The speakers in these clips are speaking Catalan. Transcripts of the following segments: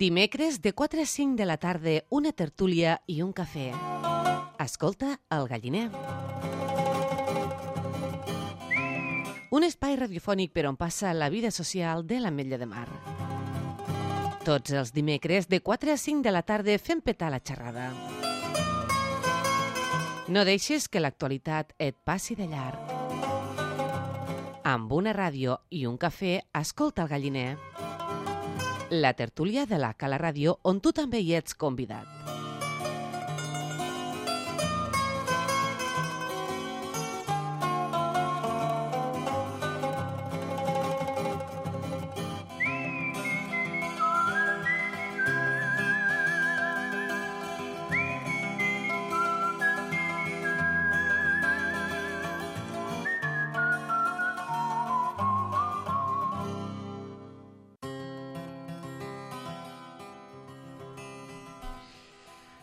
Dimecres de 4 a 5 de la tarda, una tertúlia i un cafè. Escolta El Galliner. Un espai radiofònic per on passa la vida social de l'Ametlla de Mar. Tots els dimecres de 4 a 5 de la tarda fem petar la xerrada. No deixes que l'actualitat et passi de llarg. Amb una ràdio i un cafè, escolta El Galliner. La tertúlia de la Cala Ràdio, on tu també hi ets convidat.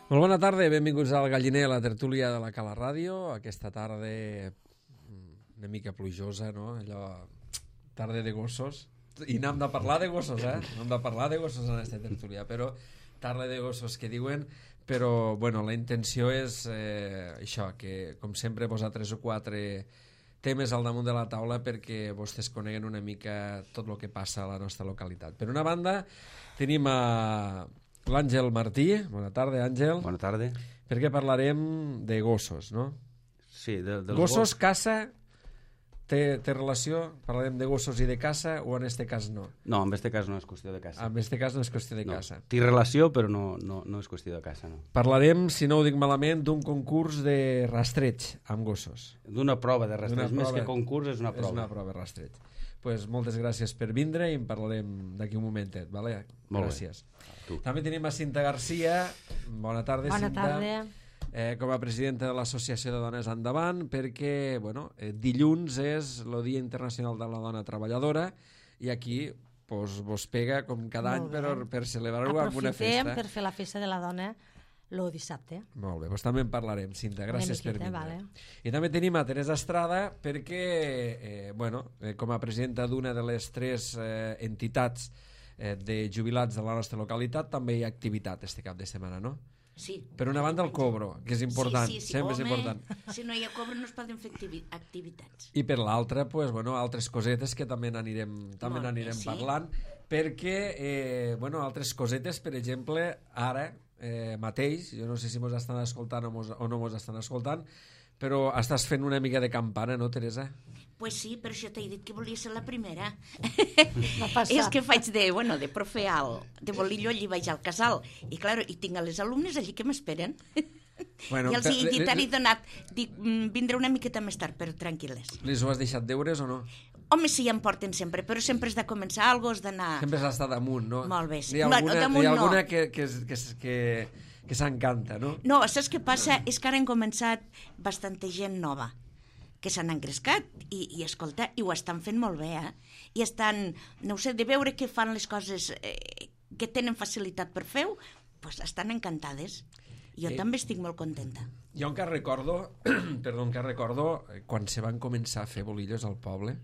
Molt bona tarda, benvinguts al Galliner, a la tertúlia de la Cala Ràdio. Aquesta tarda una mica plujosa, no? Allò, tarda de gossos. I n'hem de parlar de gossos, N'hem de parlar de gossos en aquesta tertúlia, però tarda de gossos que diuen. Però, bueno, la intenció és això, que com sempre posar 3 o 4 temes al damunt de la taula perquè vostès coneguen una mica tot el que passa a la nostra localitat. Per una banda, tenim l'Àngel Martí. Bona tarda, Àngel. Bona tarda. Perquè parlarem de gossos, no? Sí, dels gossos, caça, té relació? Parlarem de gossos i de caça o en este cas no? No, en este cas no és qüestió de caça. En este cas no és qüestió de caça. Té relació, però no és qüestió de caça, no. Parlarem, si no ho dic malament, d'un concurs de rastreig amb gossos. D'una prova de rastreig. Més que concurs, és una prova. És una prova de rastreig. Pues moltes gràcies per vindre i en parlarem d'aquí un momentet, vale? Gràcies. També tenim a Cinta Garcia. Bona tarda, Bona Cinta. tarda. Com a presidenta de l'Associació de Dones Endavant, perquè dilluns és el Dia Internacional de la Dona Treballadora i aquí vos pega com cada any per celebrar-ho amb una festa. Aprofitem per fer la festa de la dona el dissabte. Molt bé, doncs també en parlarem, Cinta, gràcies per vindre. Vale. I també tenim a Teresa Estrada perquè, com a presidenta d'una de les 3 entitats de jubilats de la nostra localitat, també hi ha activitat este cap de setmana, no? Sí. Per una banda el cobro, que és important, sí. sempre és important. Si no hi ha cobro no es poden fer activitats. I per l'altra, altres cosetes que també n'anirem parlant, perquè, altres cosetes, per exemple, ara mateix, jo no sé si mos estan escoltant o no mos estan escoltant, però estàs fent una mica de campana, no, Teresa? Pues sí, per això t'he dit que volia ser la primera. No És que faig de profe de bolillo, allí vaig al casal, i clar, i tinc a les alumnes allí que m'esperen. I els he dit, ara he donat, dic, vindré una miqueta més tard, però tranquil·les. Les ho has deixat deures o no? Home, sí, em porten sempre, però sempre has de començar alguna cosa, has d'anar... Sempre has d'estar damunt, no? Molt bé, sí. Hi ha alguna que s'encanta, no? No, saps què passa? És que ara han començat bastanta gent nova que s'han engrescat i escolta, i ho estan fent molt bé, I estan, no ho sé, de veure que fan les coses que tenen facilitat per fer-ho, doncs estan encantades. Jo també estic molt contenta. Jo encara recordo, quan se van començar a fer bolillos al poble,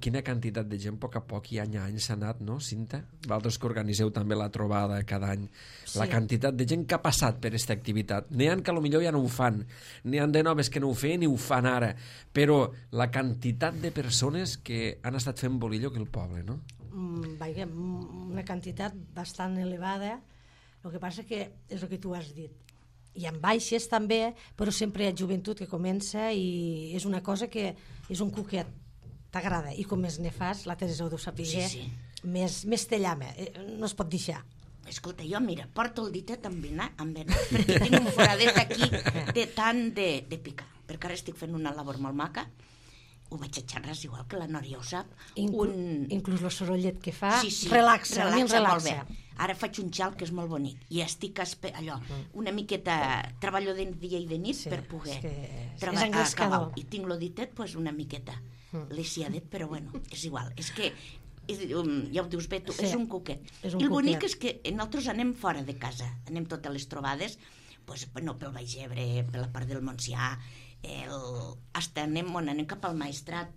quina quantitat de gent a poc a poc i any a any s'ha anat, no, Cinta? Vosaltres que organiseu també la trobada cada any. Sí. La quantitat de gent que ha passat per aquesta activitat. N'hi ha que potser ja no ho fan, n'hi ha de noves que no ho feien i ho fan ara, però la quantitat de persones que han estat fent bolillo que el poble, no? Una quantitat bastant elevada. El que passa que és el que tu has dit. Hi ha baixes també, però sempre hi ha joventut que comença i és una cosa que és un cuquet. T'agrada, i com més ne fas, la Teresa ho deu saber, sí. Més te llama, no es pot deixar. Escolta, jo, mira, porto el ditet amb venat, perquè tinc un foradet aquí de tant de picar, perquè ara estic fent una labor molt maca, ho vaig a xerrar, igual que la Nòria ho sap. Inclús el sorollet que fa, sí, relaxa. Molt bé. Ara faig un xal que és molt bonic i estic una miqueta, treballo de dia i de nit per poder acabar. I tinc lo ditet una miqueta lesiadet, però bueno, és igual. És que, ja ho dius bé tu, és un cuquet. I el bonic és que nosaltres anem fora de casa, anem totes les trobades, pel Baix Ebre, per la part del Montsià, anem cap al Maestrat,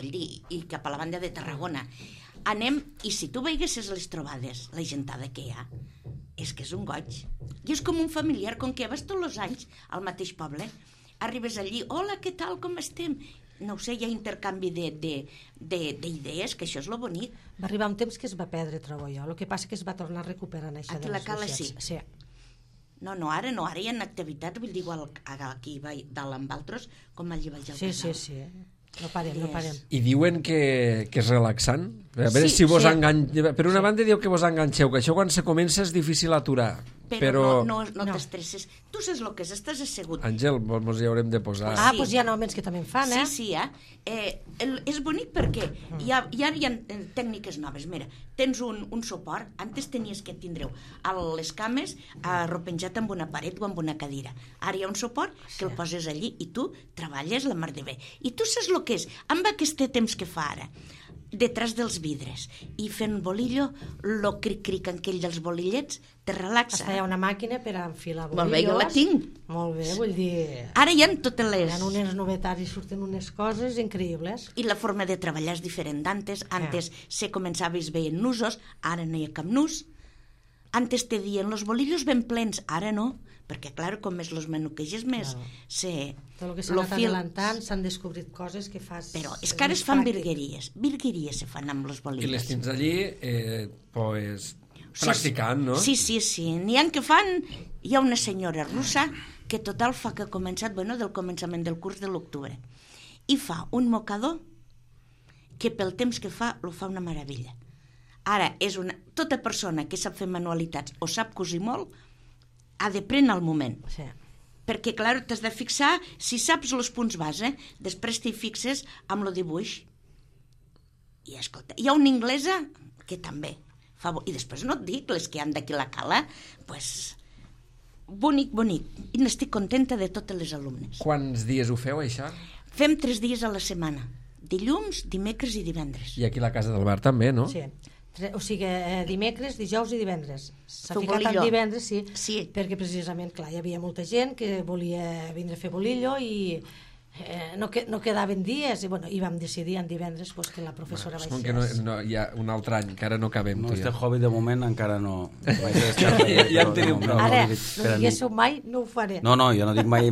i cap a la banda de Tarragona. anem, i si tu veiessis les trobades, la gentada que hi ha, és que és un goig. I és com un familiar, com que vas tots els anys al mateix poble, arribes allí, hola, què tal, com estem? No ho sé, hi ha intercanvi d'idees, que això és lo bonic. Va arribar un temps que es va perdre, trobo jo. El que passa que es va tornar a recuperar això aquí de la les Cala societats. sí. No, ara hi ha activitats, vull dir, igual aquí dalt amb altres, com allí vaig al casal. Sí. No parem. I diuen que és relaxant? A veure si vos enganxeu. Per una banda diu que vos enganxeu, que això quan se comença és difícil aturar. Però no t'estresses. Tu saps el que és, estàs assegut. Àngel, mos hi haurem de posar. Doncs hi ha homes que també en fan, eh? Sí, és bonic perquè hi ha tècniques noves. Mira, tens un suport. Antes tenies que tindre les cames arropenjat amb una paret o amb una cadira. Ara hi ha un suport que el poses allí i tu treballes la mar de bé. I tu saps el que és, amb aquest temps que fa ara, detrás dels vidres i fent bolillo, lo cric-cric aquell dels bolillets te relaxa. Hi ha una màquina per enfilar bolillos. Molt bé, jo la tinc. Molt bé, vull dir... Ara hi ha totes les... Hi ha unes novetats i surten unes coses increïbles. I la forma de treballar és diferent d'antes. Antes se començaves veient nusos, ara no hi ha cap nus. Antes te dien los bolillos ben plens, ara no, perquè, clar, com més los menuqueges més... Tot el que s'ha anat adelantant, s'han descobrit coses que fas... Però és que ara es fan virgueries se fan amb los bolillos. I les tens allí, pues, practicant, no? Sí. N'hi ha que fan... Hi ha una senyora russa que total fa que ha començat, del començament del curs de l'octubre, i fa un mocador que pel temps que fa, lo fa una meravella. Ara, tota persona que sap fer manualitats o sap cosir molt, ha de prendre el moment. Sí. Perquè, clar, t'has de fixar, si saps els punts base, després t'hi fixes amb el dibuix. I, escolta, hi ha una inglesa que també fa... I després no et dic, les que han d'aquí la Cala, pues, bonic. I n'estic contenta de totes les alumnes. Quants dies ho feu, això? Fem 3 dies a la setmana. Dilluns, dimecres i divendres. I aquí a la Casa del Bar també, no? Sí. O sigui, dimecres, dijous i divendres. S'ha ficat en divendres, sí, perquè precisament, clar, hi havia molta gent que volia vindre a fer bolillo i no quedaven dies i vam decidir en divendres que la professora baixés. Que hi ha un altre any, que ara no cabem. No, este hobby de moment encara no... Ja en tenim prou. Ara, no diguéssiu mai, no ho faré. No, jo no dic mai.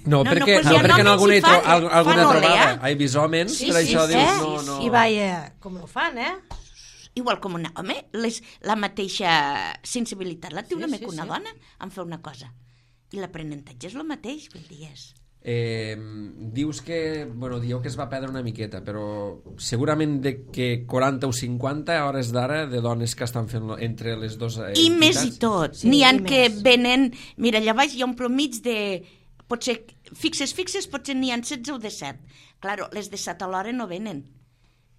No, perquè en alguna trobada he vist homes, per això dius no... I vaja, com ho fan, Igual com un home, la mateixa sensibilitat la té una mica una dona en fer una cosa. I l'aprenentatge és el mateix, vull dir, dius que, dieu que es va perdre una miqueta, però segurament de que 40 o 50 a hores d'ara de dones que estan fent entre les dues entitats. I més i tot. N'hi ha que venen... Mira, allà baix hi ha un promig de... Potser fixes, potser n'hi ha 16 o 17. Claro, les de 7 a l'hora no venen.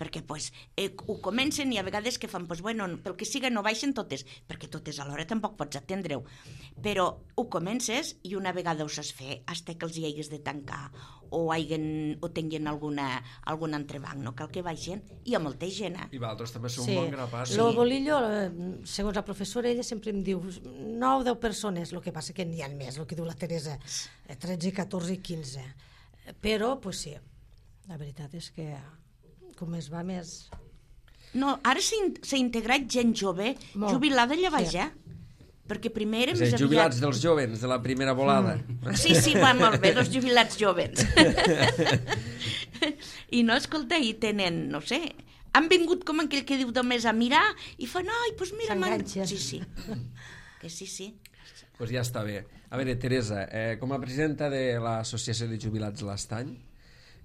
Perquè ho comencen i a vegades que fan, pel que siga no baixen totes, perquè totes alhora tampoc pots atendre-ho, però ho comences i una vegada ho saps fer, hasta que els hi hagues de tancar o tinguin algun entrebanc, no cal que baixen, i hi ha molta gent. I vosaltres també sou un bon grapat. El bolillo, segons la professora, ella sempre em diu 9 o 10 persones, el que passa que n'hi ha més, el que diu la Teresa, 13, 14 i 15. Però, sí, la veritat és que... com es va més... No, ara s'ha integrat gent jove, jubilada allà baix, perquè primer era més aviat... Jubilats dels jovens, de la primera volada. Sí, va molt bé, dels jubilats jovens. I no, escolta, i tenen, no sé, han vingut com aquell que diu només a mirar i fan, doncs mira... S'enganxen. Sí. Que sí. Doncs ja està bé. A veure, Teresa, com a presidenta de l'Associació de Jubilats l'Estany,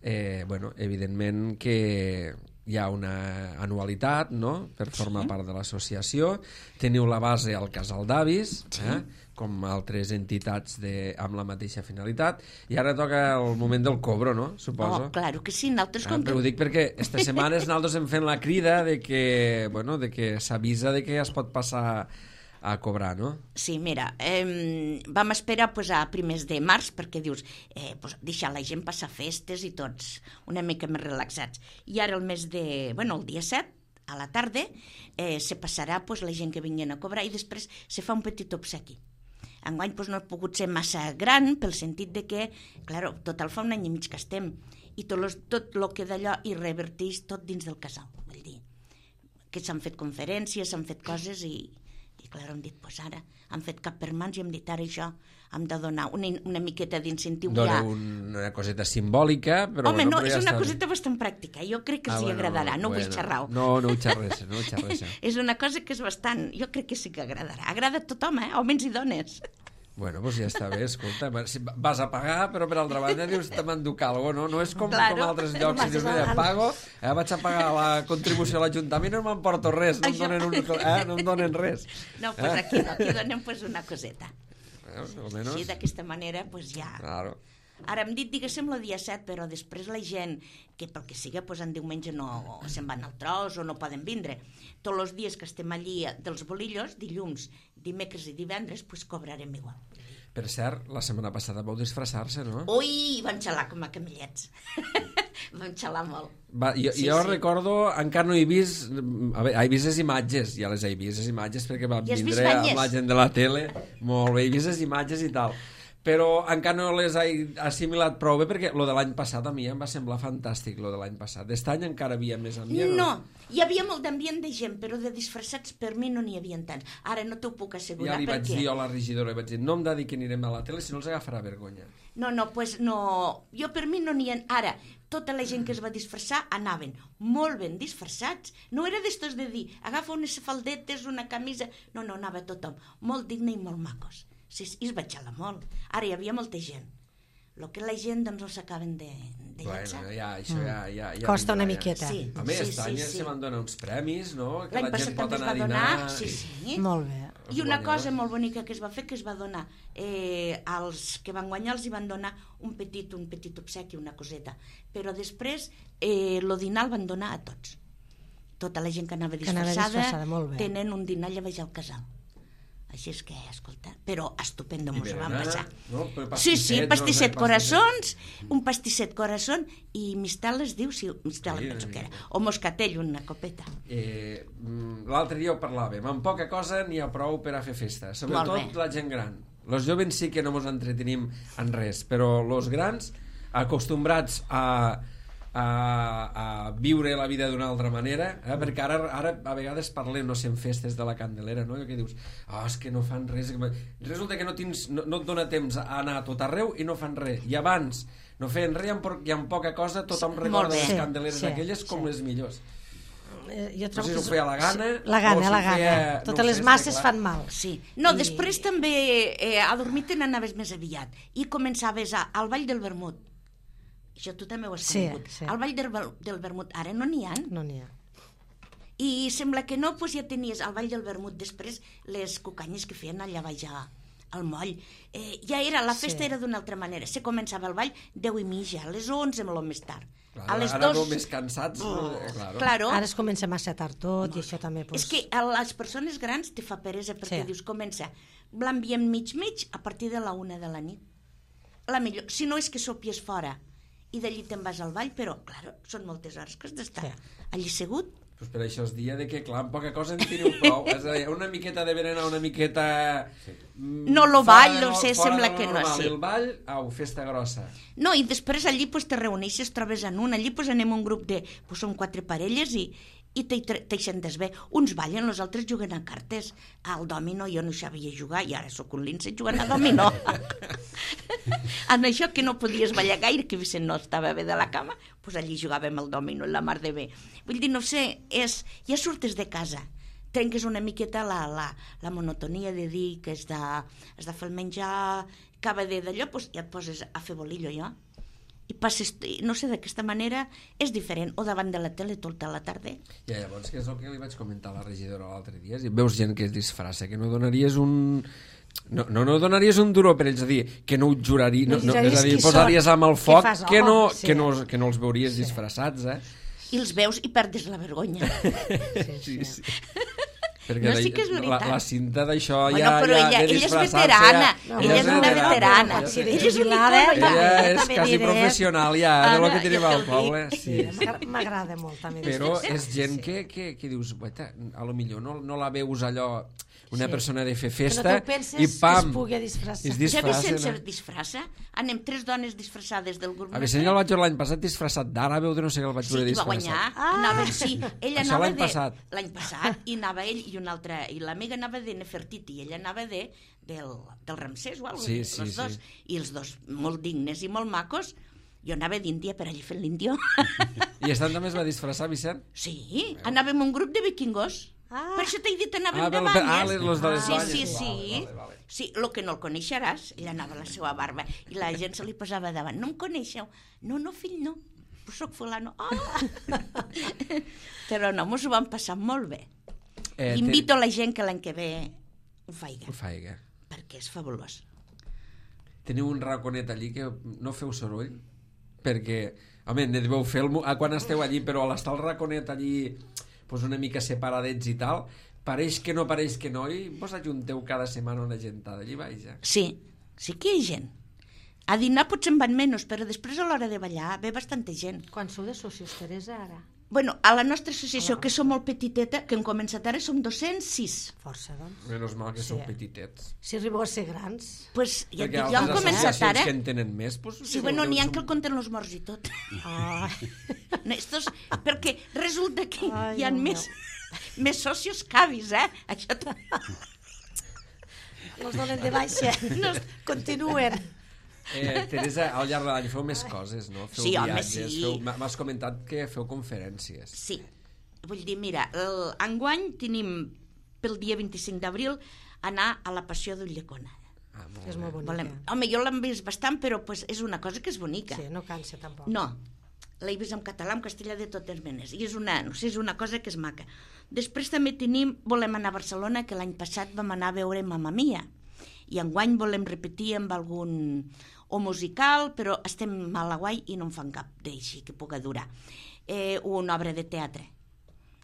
evidentment que hi ha una anualitat, no?, per formar part de l'associació. Teniu la base al Casal d'Avis, com altres entitats amb la mateixa finalitat, i ara toca el moment del cobro, no?, suposo. Claro que sí, nosaltres... Però ho dic perquè aquestes setmanes nosaltres hem fet la crida de que s'avisa de que es pot passar a cobrar, no? Sí, mira, vam esperar a primers de març perquè dius, deixar la gent passar festes i tots una mica més relaxats. I ara el dia 7, a la tarda, se passarà la gent que vinguin a cobrar i després se fa un petit obsequi. Enguany no ha pogut ser massa gran pel sentit de que, clar, total fa un any i mig que estem i tot el que d'allò hi reverteix tot dins del casal, vull dir. que s'han fet conferències, s'han fet coses i clar, hem dit, doncs ara, han fet cap per mans i hem dit, ara això, hem de donar una miqueta d'incentiu ja. Dona una coseta simbòlica, però... Home, no, és una coseta bastant pràctica, jo crec que els hi agradarà, no vull xerrar-ho. No ho xerrés. És una cosa que és bastant, jo crec que sí que agradarà. Agrada a tothom, homes i dones. Bueno, doncs ja està bé, escolta, vas a pagar, però per altra banda dius, te m'enduc alguna cosa, no? No és com altres llocs, si dius, mira, pago, vaig a pagar la contribució a l'Ajuntament i no m'emporto res, no em donen res. No, doncs aquí no, aquí donem una coseta. Almenys... Sí, d'aquesta manera, doncs ja... Claro. Ara hem dit, diguéssim, el dia 7, però després la gent, que pel que siga, doncs en diumenge no se'n van al tros o no poden vindre. Tots els dies que estem allí dels bolillos, dilluns, dimecres i divendres, doncs cobrarem igual. Per cert, la setmana passada vau disfressar-se, no? Ui, vam xalar com a camellets. Vam xalar molt. Jo recordo, encara no he vist... A veure, he vist les imatges, ja les he vist, les imatges, perquè vam vindre amb la gent de la tele. Molt bé, he vist les imatges i tal. Però encara no les he assimilat prou bé, perquè lo de l'any passat a mi em va semblar fantàstic, lo de l'any passat. D'est any encara havia més ambient. No, hi havia molt d'ambient de gent, però de disfressats per mi no n'hi havia tants. Ara no t'ho puc assegurar. Ja li vaig dir a la regidora, vaig dir, no em de dir que anirem a la tele, si no els agafarà vergonya. No, doncs no, jo per mi no n'hi ha... Ara, tota la gent que es va disfressar anaven molt ben disfressats. No era d'estos de dir, agafa unes faldetes, una camisa... No, anava tothom molt digne i molt macos. Sí, i es va xalar molt. Ara hi havia molta gent. El que la gent, doncs, els acaben de llançar. Bueno, això ja... Costa una miqueta. Sí. A més, aquest any se van donar uns premis, no? Que l'any la gent pot anar a dinar... Sí. Molt bé. I una cosa molt bonica que es va fer, que es va donar als que van guanyar, els hi van donar un petit obsequi, una coseta. Però després, el dinar el van donar a tots. Tota la gent que anava disfressada tenen un dinar allà baix al casal. Així és que, escolta, però estupendo mos ho vam passar. No? Sí, pastisset coraçons, un pastisset corazón i mistel es diu, sí, mistel penso que era, o moscatell, una copeta. L'altre dia ho parlàvem, amb poca cosa n'hi ha prou per a fer festa, sobretot la gent gran. Els jovens sí que no mos entretenim en res, però els grans, acostumbrats a viure la vida d'una altra manera, perquè ara a vegades parlem, no sé, en festes de la Candelera, no? I que dius, és que no fan res, resulta que no et dona temps a anar a tot arreu i no fan res, i abans no feien res i amb poca cosa tothom recorda les Candeleres aquelles com les millors. Jo trobo que ho feia la gana. La gana. Totes les masses fan mal. Sí. No, després també a dormir te n'anaves més aviat i començaves al Ball del Vermut. Això tu també ho has conegut. Al Ball del Vermut ara no n'hi ha. No n'hi ha. I sembla que no, doncs ja tenies al Ball del Vermut després les cucanyes que feien allà baix al moll. Ja era, la festa era d'una altra manera. Se començava el ball 10:30, a les 11 molt més tard. A les 2... Ara no més cansats. Claro. Ara es comença massa tard tot i això també... És que a les persones grans te fa peresa perquè dius, comença l'ambient mig a partir de la 1 de la nit. La millor, si no és que sopies fora i d'allí te'n vas al ball, però, clar, són moltes hores que has d'estar allí segut. Pues per això es dia de que, clar, amb poca cosa en teniu prou. És a dir, una miqueta de berenar, una miqueta... No, lo ball, no sé, sembla que no. Sí. El ball, festa grossa. No, i després allí pues, te reuneixes, trobes en un, allí pues, anem un grup de... Pues, són 4 parelles i t'hi sentes bé. Uns ballen, els altres juguen a cartes. Al dòmino jo no sabia jugar i ara sóc un lince jugant a dòmino. En això que no podies ballar gaire, que Vicent no estava bé de la cama, doncs allí jugàvem al dòmino, la mar de bé. Vull dir, no sé, ja surtes de casa, trenques una miqueta la monotonia de dir que has de fer el menjar, acaba d'allò, doncs ja et poses a fer bolillo, jo. I passes, no sé, d'aquesta manera és diferent, o davant de la tele tota la tarda. Ja, llavors, que és el que li vaig comentar a la regidora l'altre dia, si veus gent que es disfressa, que no donaries un... No donaries un duro per ells, a dir, que no ho juraries, és a dir, posaries amb el foc que no els veuries disfressats, I els veus i perdes la vergonya. Sí. Perquè sí que és veritat. La Cinta d'això bueno, però ella és veterana. Ella és una veterana. Ella és quasi professional ja de lo que tenim al poble. M'agrada molt també. Però és gent que dius, a lo millor no la veus allò una persona de fer festa i pam, es disfressa. Ja Vicent es disfressa? Anem 3 dones disfressades del grup. A Vicent el vaig veure l'any passat disfressat d'ara, veu de no sé què el vaig veure disfressat. Sí, va guanyar. Ella això anava l'any passat. L'any passat, i anava ell i una altra, i l'amiga anava de Nefertiti, i ella anava del Ramsès o alguna cosa, els dos, i els dos molt dignes i molt macos. Jo anava d'Índia per allà fent l'índio. I estant també es va disfressar, Vicent? Sí, anàvem un grup de vikingos. Per això t'he dit, anàvem de banyes. Los de les banyes. Sí, el que no el coneixeràs, ella anava a la seva barba, i la gent se li posava davant. No em coneixeu? No, fill, no. Però soc fulano. Però no, mos ho vam passar molt bé. Invito a la gent que l'any que ve ho faiga. Perquè és fabulós. Teniu un raconet allí que no feu soroll? Perquè, home, ne deveu fer quan esteu allí, però a l'estar el raconet allí pues una mica separadets i tal, pareix que no, i vos ajunteu cada setmana una gentada allí baix, ja. Sí que hi ha gent. A dinar potser en van menys, però després a l'hora de ballar ve bastanta gent. Quan sou de socis, Teresa, ara? Bueno, a la nostra associació, que som molt petiteta, que hem començat ara, som 206. Força, doncs. Menos mal que sou petitets. Si arribeu a ser grans. Pues ja hem començat ara. Que en tenen més, pues... Sí, bueno, n'hi ha que el compten els morts i tot. Perquè resulta que hi ha més socios que avis, Això... Els donen de baixa. Continuen. Teresa, al llarg de l'any feu més coses, no? Feu viatges, sí. M'has comentat que feu conferències. Sí, vull dir, mira, enguany tenim pel dia 25 d'abril anar a la Passió d'Ulldecona. És molt bonica. Home, jo l'hem vist bastant, però és una cosa que és bonica. Sí, no cansa tampoc. No, l'he vist en català, en castellà, de totes menes, i és una cosa que és maca. Després també volem anar a Barcelona, que l'any passat vam anar a veure Mamma Mia, i enguany volem repetir amb algun o musical, però estem mal a guai i no en fan cap d'així que pugui durar. Una obra de teatre.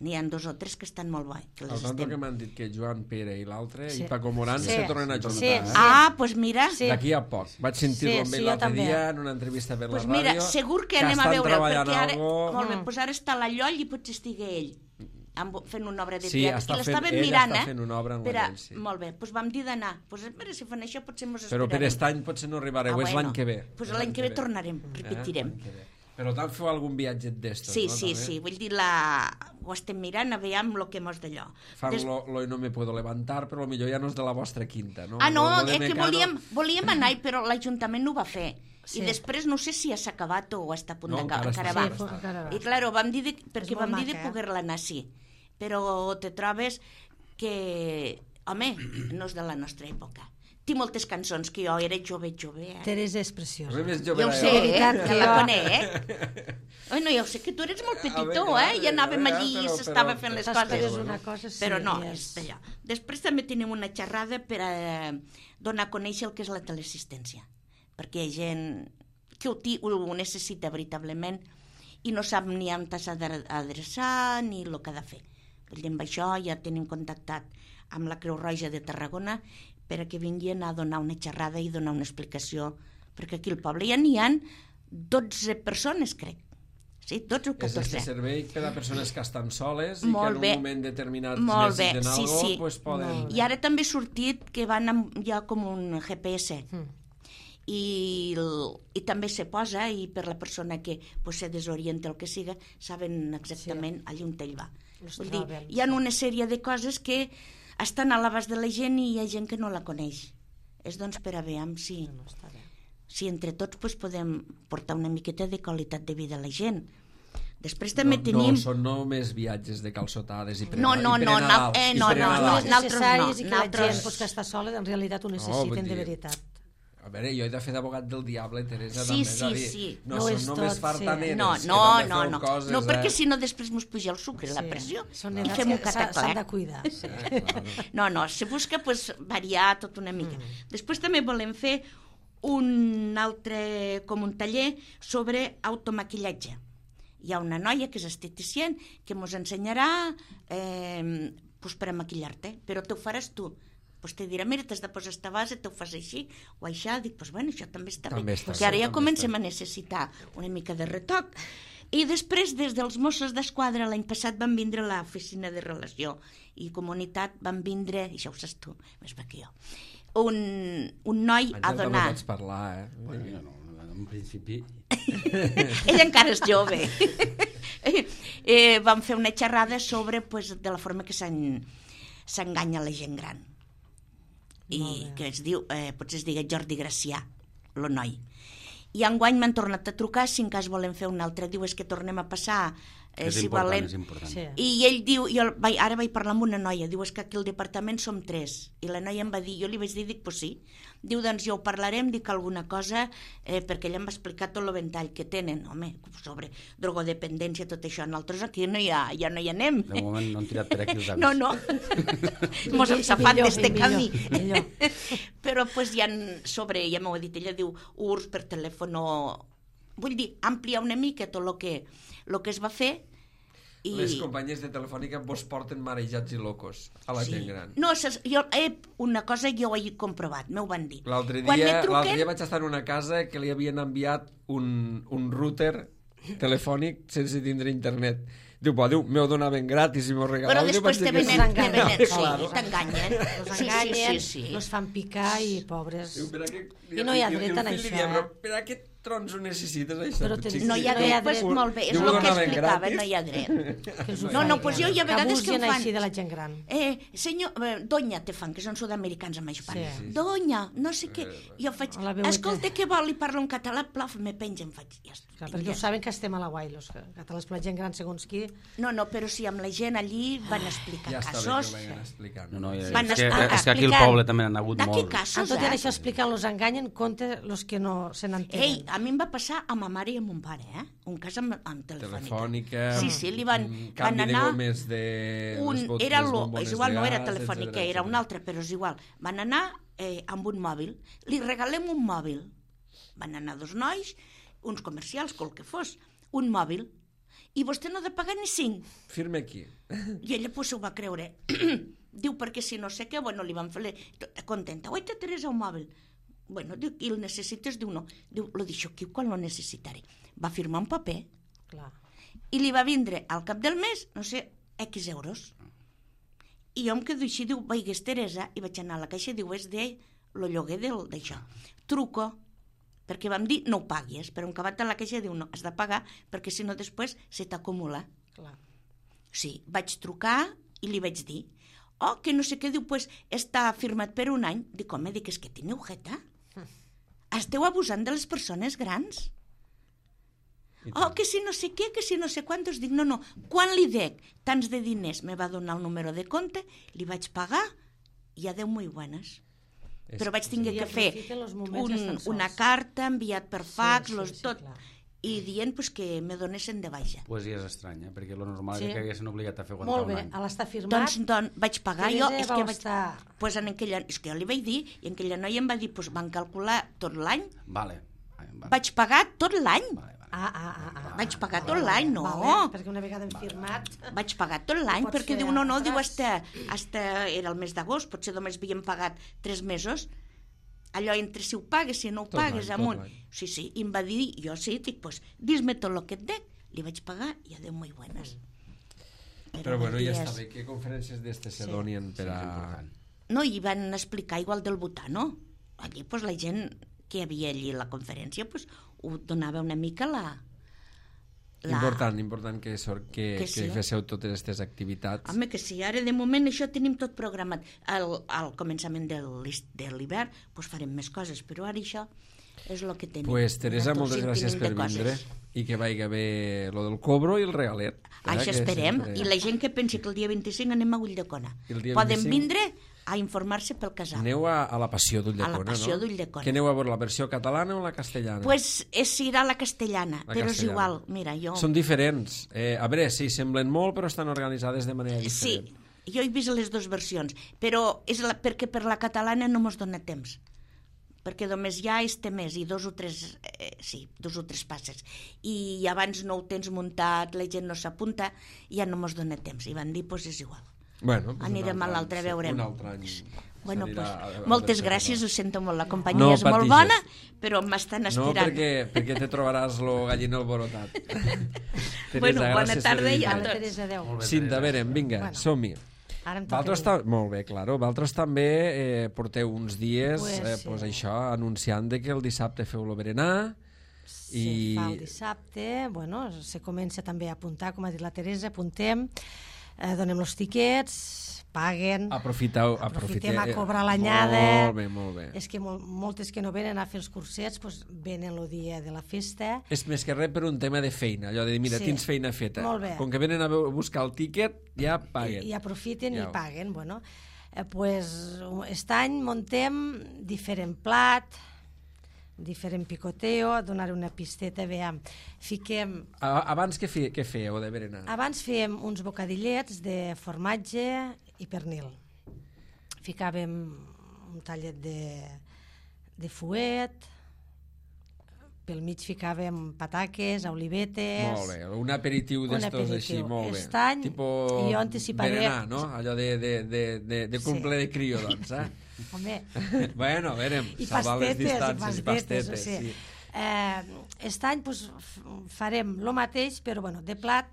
N'hi ha 2 o 3 que estan molt guai. El tanto que m'han dit que Joan Pere i l'altre i Paco Morán se tornen a juntar. Doncs mira... D'aquí a poc. Vaig sentir-lo amb ell l'altre dia en una entrevista per la ràdio. Mira, segur que anem a veure'l, perquè ara... Molt bé, doncs ara està a la Lloll i potser estigui ell fent una obra de teatre. I l'estàvem mirant, està fent una obra en la Lloll, sí. Molt bé, doncs vam dir d'anar. Doncs mira, si fan això potser mos Però esperarem. per aquest any potser no arribareu, és l'any que ve. Doncs l'any que ve tornarem, repetirem. Però tant feu algun viatge d'estos, no? Sí, vull dir, ho estem mirant, aviam lo que mos d'allò. Fan lo no me puedo levantar, però potser ja no és de la vostra quinta, no? No, és que volíem anar, però l'Ajuntament no ho va fer. I després no sé si ja s'ha acabat o està a punt d'acabar. I clar, vam dir de poder-la anar, sí. Però te trobes que, home, no és de la nostra època. Té moltes cançons que jo era jove. Teresa és preciosa. Jo ho sé, que la conec. No, jo sé que tu eres molt petitó, i anàvem allí i s'estava fent les coses. Però no, és d'allò. Després també tenim una xerrada per donar a conèixer el que és la teleassistència. Perquè hi ha gent que ho necessita veritablement i no sap ni on s'ha d'adreçar ni el que ha de fer. Amb això ja tenim contactat amb la Creu Roja de Tarragona perquè vinguin a donar una xerrada i donar una explicació, perquè aquí al poble ja n'hi ha 12 persones, crec. Sí, 12 o 14. És este servei per a persones que estan soles i que en un moment determinat necessiten alguna cosa, poden... I ara també ha sortit que hi ha com un GPS i també se posa i per la persona que se desorienta el que siga, saben exactament allà on ell va. Vull dir, hi ha una sèrie de coses que estan a l'abast de la gent i hi ha gent que no la coneix. És doncs per a veure si entre tots podem portar una miqueta de qualitat de vida a la gent. Després també tenim... No, són només viatges de calçotades i prenadals. No, necessaris i que la gent que està sola en realitat ho necessiten de veritat. A veure, jo he de fer d'abogat del diable, Teresa, sí, també. Sí. No són només fartaneres. No, perquè si no després mos puja el sucre, la pressió, i fem un cataclec. S'han de cuidar. No, se busca variar tot una mica. Després també volem fer un altre, com un taller sobre automaquillatge. Hi ha una noia que és esteticient que mos ensenyarà pues, per a maquillar-te, però t'ho faràs tu. Pues te dirà, mira, t'has de posar esta base, t'ho fas així, o això, dic, pues bueno, això també està bé, perquè ara ja comencem a necessitar una mica de retoc. I després, des dels Mossos d'Esquadra, l'any passat van vindre a l'oficina de relació i comunitat, van vindre, i això ho saps tu, més bé que jo, un noi a donar... Àngel, també pots parlar, Bueno, en principi... Ell encara és jove. Vam fer una xerrada sobre de la forma que s'enganya la gent gran. I que es diu, potser es digui Jordi Gracià, el noi. I enguany m'han tornat a trucar, si en cas volen fer un altre, diu, és que tornem a passar, si volen... És important. Sí. I ell diu, ara vaig parlar amb una noia, diu, és que aquí al departament som 3, i la noia em va dir, jo li vaig dir, dic, pues sí, diu, doncs jo ho parlarem, dic alguna cosa, perquè ella em va explicar tot el ventall que tenen, home, sobre drogodependència, tot això, nosaltres aquí ja no hi anem. De moment no han tirat per aquí els avis. No, mos hem safat d'este camí. Però pues ja m'ho ha dit, ella diu, URSS per telèfon, vull dir, ampliar una mica tot el que es va fer. Les companyies de Telefònica vos porten marejats i locos a la gent gran. No, una cosa jo ho he comprovat, m'ho van dir. L'altre dia vaig estar en una casa que li havien enviat un router telefònic sense tindre internet. Diu, m'ho donaven gratis i m'ho regalaven. Però després te venen, t'enganyen. Els enganyen, els fan picar i pobres. I no hi ha dret en això. Per a què trons ho necessites, això? No hi ha dret, pues molt bé, és el que explicava, no hi ha dret. No, pues jo hi ha vegades que em fan... així de la gent gran. Senyor, doña te fan, que són sud-americans amb això. Doña, no sé què. Jo faig, escolta, què vol? I parlo en català, plaf, me pengen, faig. Perquè ho saben que estem a la guai, els catalans per la gent gran, segons qui... No, però sí, amb la gent allí van explicar casos. Ja està bé que ho vagin explicant. No, és que aquí al poble també n'han hagut molt. De què casos, tot i això explicant, els enganyen, compte els que no se n'entenen. Ei, a mi em va passar a ma mare i a mon pare, un cas amb Telefònica. Sí, li van canvi anar... de gomes de... És igual, no era Telefònica, era un altre, però és igual. Van anar amb un mòbil. Li regalem un mòbil. Van anar 2 nois, uns comercials, qual que fos, un mòbil. I vostè no ha de pagar ni 5. Firme aquí. I ella pues, ho va creure. Diu, perquè si no sé què, bueno, li van fer contenta. Oi, te Teresa, un mòbil. Bueno, diu, i el necessites? Diu, no. Diu, lo deixo aquí quan lo necessitaré. Va firmar un paper. Clar. I li va vindre al cap del mes, no sé, X euros. I jo em quedo així, diu, vaigues Teresa, i vaig anar a la caixa, diu, és lo lloguer d'això. Truco, perquè vam dir no ho paguis, però un acabat de la caixa diu no, has de pagar perquè si no després se t'acumula. Clar. Sí, vaig trucar i li vaig dir que no sé què, diu, pues està firmat per un any. Dic, home, és que teniu jeta? Esteu abusant de les persones grans? Que si no sé què, que si no sé quantos. Dic, no, quan li dec tants de diners? Me va donar el número de compte, li vaig pagar i adeu muy buenas. Però vaig tenir que fer una carta enviat per fax, tot, i dient que me donessin de baixa. Pues ja és estrany, perquè lo normal és que haguessin obligat a fer molt bé, a l'estar firmat. Doncs vaig pagar jo, és que jo li vaig dir, i en aquella noia em va dir, van calcular tot l'any. Vaig pagar tot l'any. Vaig pagar tot l'any, no. Perquè una vegada hem firmat... Vaig pagar tot l'any, perquè diu, no, diu, hasta era el mes d'agost, potser només havíem pagat 3 mesos, allò entre si ho pagues, si no ho pagues, amunt. Sí, i em va dir, jo sí, dic, pues, dis-me tot el que et dec, li vaig pagar i adeu muy buenas. Però bueno, ja està bé, què conferències d'estes se donien per a... No, i van explicar igual del Butano. Allí, pues, la gent que hi havia allí a la conferència, pues, ho donava una mica Important que féssiu totes aquestes activitats. Home, que sí, ara de moment això tenim tot programat. Al començament de l'hivern pues farem més coses, però ara això és el que tenim. Pues Teresa, moltes gràcies per vindre i que vagi bé lo del cobro i el regalet. Això esperem, i la gent que pensi que el dia 25 anem a Ulldecona. Poden vindre a informar-se pel casal. Aneu a la Passió d'Ulldecona, no? A la Passió d'Ulldecona. Que aneu a veure la versió catalana o la castellana? Pues serà la castellana, però és igual. Mira, jo... Són diferents. A veure, sí, semblen molt, però estan organitzades de manera diferent. Sí, jo he vist les dues versions, però és perquè per la catalana no mos dona temps. Perquè només hi ha este mes i 2 o 3 passes. I abans no ho tens muntat, la gent no s'apunta, i ja no mos dona temps. I van dir, doncs és igual. Bueno, anirem a l'altre, veurem. Un altre any. Bueno, moltes gràcies, ho sento molt, la companyia és molt bona, però m'estan esperant. No, perquè te trobaràs el galliner alborotat. Bueno, bona tarda i a tots. Teresa, adéu. Cinta, a veure, vinga, som-hi. Molt bé, claro. Vosaltres també porteu uns dies això anunciant que el dissabte feu el berenar. Se fa el dissabte, bueno, se comença també a apuntar, com ha dit la Teresa, apuntem, donem els tiquets, paguen, aprofitem a cobrar l'anyada. Molt bé. És que moltes que no venen a fer els cursets venen el dia de la festa. És més que res per un tema de feina, allò de dir, mira, tens feina feta. Com que venen a buscar el tíquet, ja paguen. I aprofiten i paguen. Bueno, aquest any muntem diferent plat, diferent picoteo, donar una pisteta, veiem, fiquem... Abans què fèieu de berenar? Abans fèiem uns bocadillets de formatge i pernil. Ficàvem un tallet de fuet, pel mig ficàvem pataques, olivetes... Molt bé, un aperitiu d'estos així, molt bé. Aquest any jo anticiparé... Berenar, no? Allò de cumple de crio, doncs, Home. Bueno, verem, salvar les distàncies i pastetes. Sí. Aquest any farem el mateix, però de plat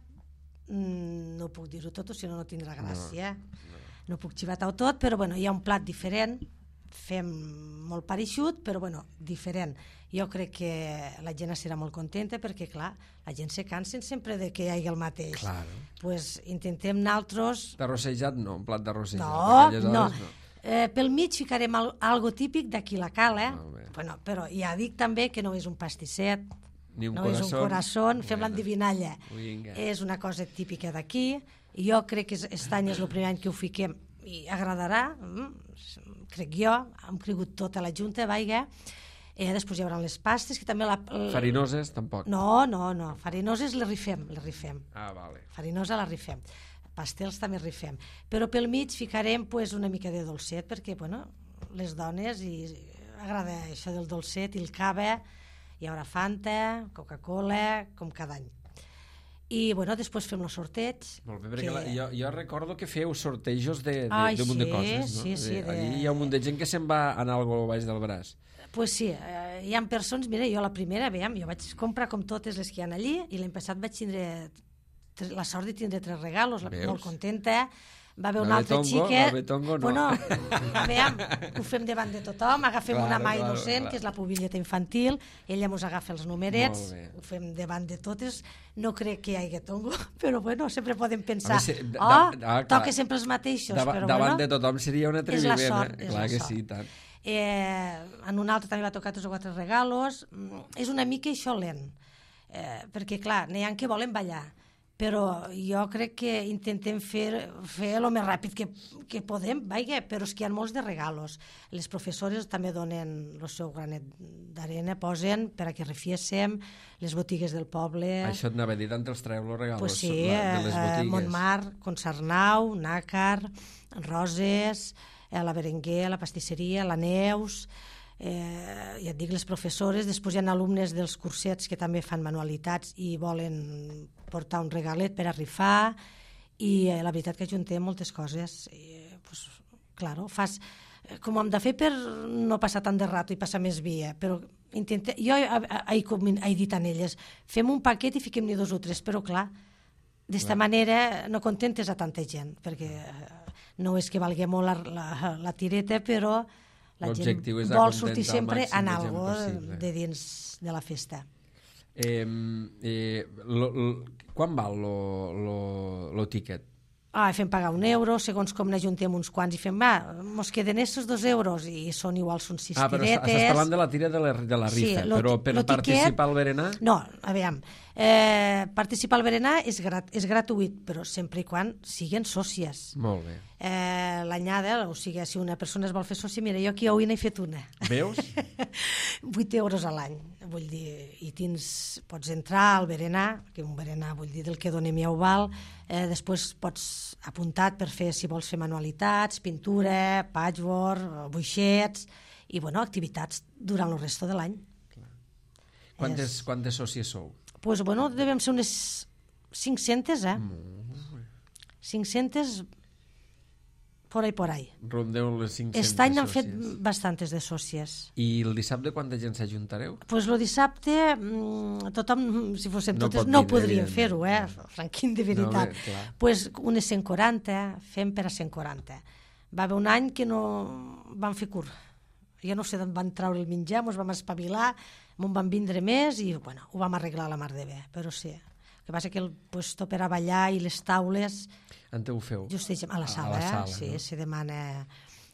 no puc dir-ho tot, si no tindrà gràcia. No puc xivar-ho tot, però hi ha un plat diferent, fem molt pareixut, però diferent. Jo crec que la gent serà molt contenta perquè, clar, la gent se cansa sempre de que hi hagi el mateix. Pues intentem nosaltres... D'arrossejat no, un plat d'arrossejat. No. Pel mig ficarem algo típic d'aquí la cala, però ja dic també que no és un pastisset, no és un corazón, fem l'endivinalla. És una cosa típica d'aquí, i jo crec que aquest any és el primer any que ho fiquem i agradarà, crec jo, hem cregut tota la junta, després hi haurà les pastes, que també... Farinoses, tampoc? No, farinoses les rifem. Vale. Farinosa la rifem. Pastels també rifem. Però pel mig ficarem una mica de dolcet, perquè, les dones agrada això del dolcet i el cava, hi haurà Fanta, Coca-Cola, com cada any. I, després fem el sorteig. Molt bé, perquè jo recordo que feu sortejos d'un munt de coses, no? Sí. Allí hi ha un munt de gent que se'n va anar algo baix del braç. Pues sí, hi ha persones, mira, jo la primera, jo vaig comprar com totes les que hi ha allí, i l'any passat vaig tindre la sort de tindre 3 regalos, molt contenta. Va haver un altre xiquet. No. Ho fem davant de tothom, agafem una mà innocent, que és la pubilleta infantil, ella ens agafa els numerets, ho fem davant de totes. No crec que hi hagi tongo, però sempre podem pensar, toca sempre els mateixos. Davant de tothom seria un atreviment. És la sort. Clar que sí, tant. En un altre també va tocar 3 o 4 regalos. És una mica això lent, perquè clar, n'hi ha que volen ballar, però jo crec que intentem fer el més ràpid que podem, però és que hi ha molts de regalos. Les professores també donen el seu granet d'arena, posen per a que refiéssim les botigues del poble. Això et anava a dir, tant els treu els regalos de les botigues. Montmar, Concernau, Nàcar, Roses, la Berenguer, la pastisseria, la Neus... ja et dic, les professores. Després hi ha alumnes dels cursets que també fan manualitats i volen portar un regalet per a rifar, i la veritat que ajuntem moltes coses. Claro, fas com hem de fer per no passar tant de rato i passar més via, però jo he dit a elles, fem un paquet i fiquem-n'hi 2 o 3, però clar, d'esta manera no contentes a tanta gent, perquè no és que valgui molt la tireta, però la gent vol sortir sempre en algo de dins de la festa. Quan val lo tiquet? Fem pagar €1, segons com n'ajuntem uns quants, i fem, mos queden estos €2, i són iguals uns 6 tiretes. Però estàs parlant de la tira de la rifa, però per participar al berenar? No, aviam, participar al berenar és gratuït, però sempre i quan siguin sòcies. Molt bé. L'anyada, o sigui, si una persona es vol fer sòcia, mira, jo aquí avui n'he fet una. Veus? €8 a l'any, vull dir, i pots entrar al berenar, que un berenar, vull dir, del que donem ja ho val, després pots apuntar per fer, si vols fer manualitats, pintura, patchwork, buixets, i, activitats durant el resto de l'any. Quantes sòcies sou? Doncs, devem ser unes 500, 500 por ahí. Rondeu les 500 de Aquest any sòcies. han fet bastantes de sòcies. I el dissabte quanta gent s'ajuntareu? Doncs el dissabte, tothom, si fóssim No totes, pot no vindre, podríem evidentment. fer-ho, Franquín, de veritat. Doncs unes 140, fem per a 140. Va haver un any que no vam fer curt. Jo no sé d'on van treure el menjar, ens vam espavilar, m'on van vindre més i bueno, ho vam arreglar a la mar de bé, però sí. El que passa que el puesto per a ballar i les taules... On ho feu? Justament a la sala, sí, no? Se demana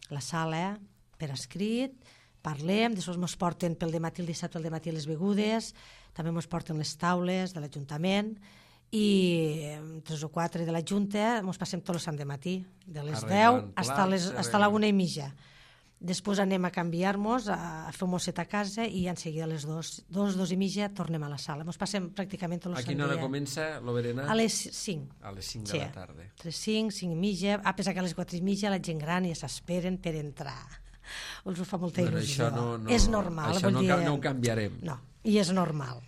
la sala per escrit, parlem, després ens porten pel dematí, el dissabte al dematí les begudes, també ens porten les taules de l'Ajuntament i 3 o 4 de la Junta ens passem tot el sant de matí, de les 10 fins a la 1:30. Després anem a canviar-nos, a fer un mosset a casa i en seguida a les 2:30 tornem a la sala. Ens passem pràcticament tot el sant dia. A quina hora comença l'Oberenar? A les 5. A les 5 de la tarda. 5, 5:30, a pesar que a les 4:30 la gent gran ja s'esperen per entrar. Els ho fa molta il·lusió. És normal. Això no ho canviarem. No, i és normal.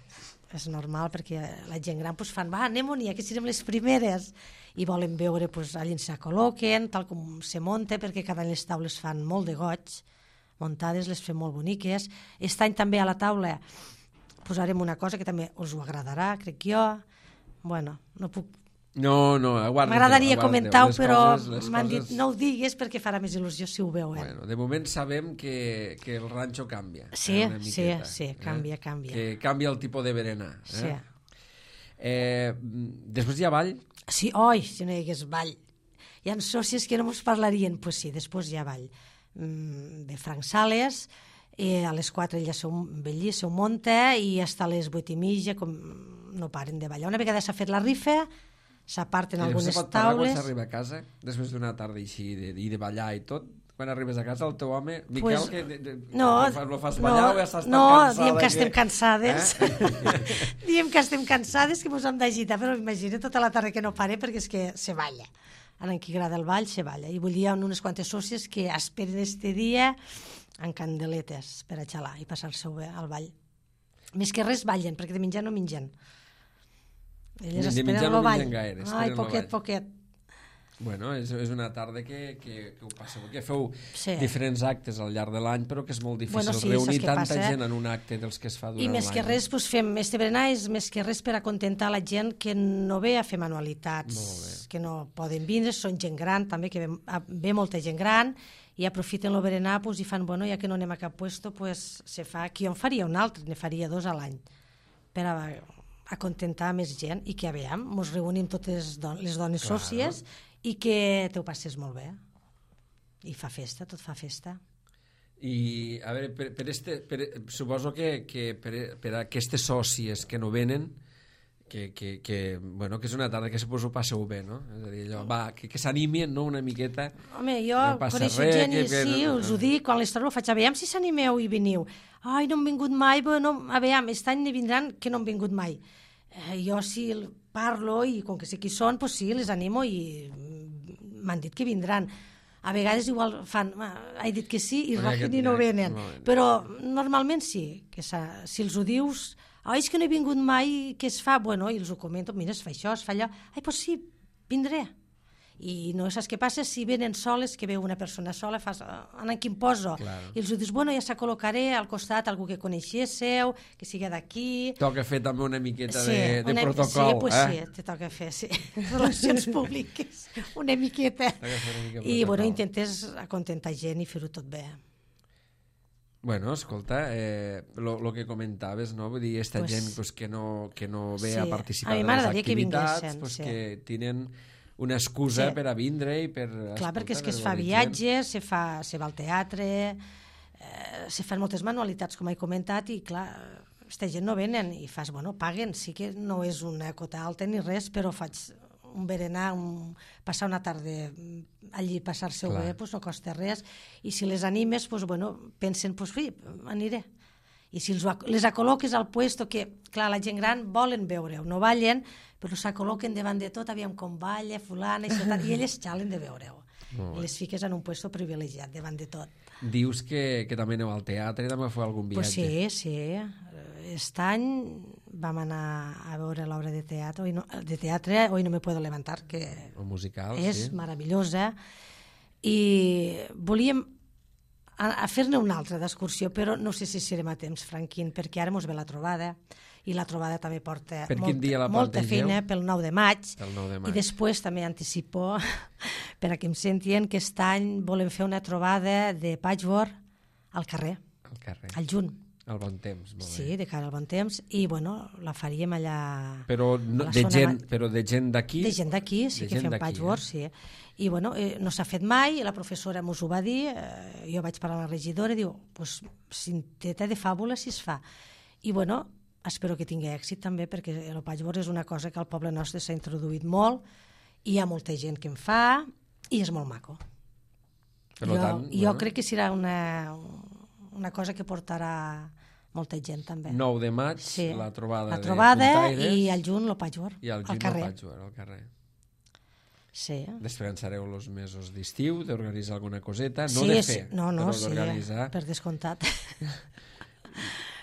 És normal perquè la gent gran fan, va, anem-hi, que serem les primeres. I volen veure allà on se col·loquen, tal com se munta, perquè cada any les taules fan molt de goig, muntades, les fem molt boniques. Aquest any també a la taula posarem una cosa que també us ho agradarà, crec jo. Bueno, no puc... No, aguardeu. M'agradaria comentar-ho, però m'han dit no ho digues perquè farà més il·lusió si ho veuen. Bueno, de moment sabem que el ranxo canvia. Sí, canvia. Que canvia el tipus de berenar. Sí. Després hi ha ball? Sí, si no hi hagués ball. Hi ha sòcies que no ens parlarien, doncs sí, després hi ha ball. De Frank Sales, a les 4 ella s'ho munta i fins a les 8:30 no paren de ballar. Una vegada s'ha fet la rifa, s'aparten algunes taules. I pot parlar quan s'arriba a casa, després d'una tarda així, i de ballar i tot? Quan arribes a casa, el teu home, Miquel, lo fas ballar o ja estàs tan cansada? No, diem que estem cansades. Diem que estem cansades, que ens hem d'agitar, però imagina tota la tarda que no pare perquè és que se balla. A qui agrada el ball, se balla. I vull dir, hi ha unes quantes sòcies que esperen este dia amb candeletes per a xalar i passar-se-ho bé al ball. Més que res ballen, perquè de menjar no mengen. Elles esperen el ball. Ai, poquet. Bueno, és una tarda que ho passeu, que feu diferents actes al llarg de l'any, però que és molt difícil reunir tanta gent en un acte dels que es fa durant l'any. I més que res, fem este berenar és més que res per acontentar la gent que no ve a fer manualitats, que no poden vindre, són gent gran també, que ve molta gent gran i aprofiten el berenar i fan, bueno, ja que no anem a cap puesto, se fa, qui en faria un altre, ne faria 2 a l'any, per acontentar més gent i que aviam, ens reunim totes les dones sòcies i que t'ho passes molt bé. I fa festa, tot fa festa. I, a veure, suposo que per a aquestes sòcies que no venen, que és una tarda que suposo passeu bé, no? És a dir, allò, que s'animin, no?, una miqueta. Home, jo coneixo gent i sí, us ho dic, quan les trobo faig, aviam si s'animeu i veniu. Ai, no han vingut mai, aviam, aquest any ne vindran que no han vingut mai. Jo si parlo i com que sé qui són, doncs sí, les animo i m'han dit que vindran. A vegades igual fan, he dit que sí i ràpid i no venen. Però normalment sí, que si els ho dius, és que no he vingut mai, què es fa? Bueno, i els ho comento, mira, es fa això, es fa allò. Ai, doncs sí, vindré. I no saps què passa si venen soles, que veu una persona sola, fas, en qui em poso? I els ho dius, bueno, ja s'acol·locaré al costat algú que coneixéssiu, que sigui d'aquí. Toca fer també una miqueta de protocol. Sí, te toca fer, sí. Relacions públiques, una miqueta. I, bueno, intentes acontentar gent i fer-ho tot bé. Bueno, escolta, lo que comentaves, no? Vull dir, esta gent que no ve a participar de les activitats, que tenen una excusa per a vindre i per... Clar, perquè és que es fa viatges, se va al teatre, se fan moltes manualitats, com he comentat, i clar, aquesta gent no venen i fas, bueno, paguen, sí que no és una cota alta ni res, però faig un berenar, passar una tarda allí, passar-se-ho bé, no costa res, i si les animes, bueno, pensen, sí, aniré. I si les acol·loques al puesto, que, clar, la gent gran volen veure-ho, no ballen, però s'acol·loquen davant de tot, aviam com balla, fulana, i elles xalen de veure-ho. I les fiques en un puesto privilegiat, davant de tot. Dius que també aneu al teatre, també feu algun viatge? Pues sí. Aquest any vam anar a veure l'obra de teatre, Hoy no me puedo levantar, que musical, és meravellosa. i volíem a fer-ne una altra d'excursió, però no sé si serem a temps, Franquín, perquè ara mos ve la trobada, i la trobada també porta molta feina pel 9 de maig, i després també anticipo, per a que em sentien, que aquest any volem fer una trobada de patchwork al carrer, al juny. Al bon temps, molt bé. Sí, de cara al bon temps, i bueno, la faríem allà... Però de gent d'aquí? De gent d'aquí, sí, que fem patchwork, sí. I bueno, no s'ha fet mai, la professora mos ho va dir, jo vaig parlar a la regidora i diu, pues cinteta de fàbula si es fa. I bueno, espero que tingui èxit també, perquè el patchwork és una cosa que al poble nostre s'ha introduït molt, i hi ha molta gent que en fa, i és molt maco. Jo crec que serà una cosa que portarà molta gent també. 9 de maig, sí. La trobada de Puntaires. I al juny el patchwork, al carrer. Sí. Descansareu els mesos d'estiu, d'organitzar alguna coseta, no sí, de fer, no, però sí, d'organitzar. Per descomptat.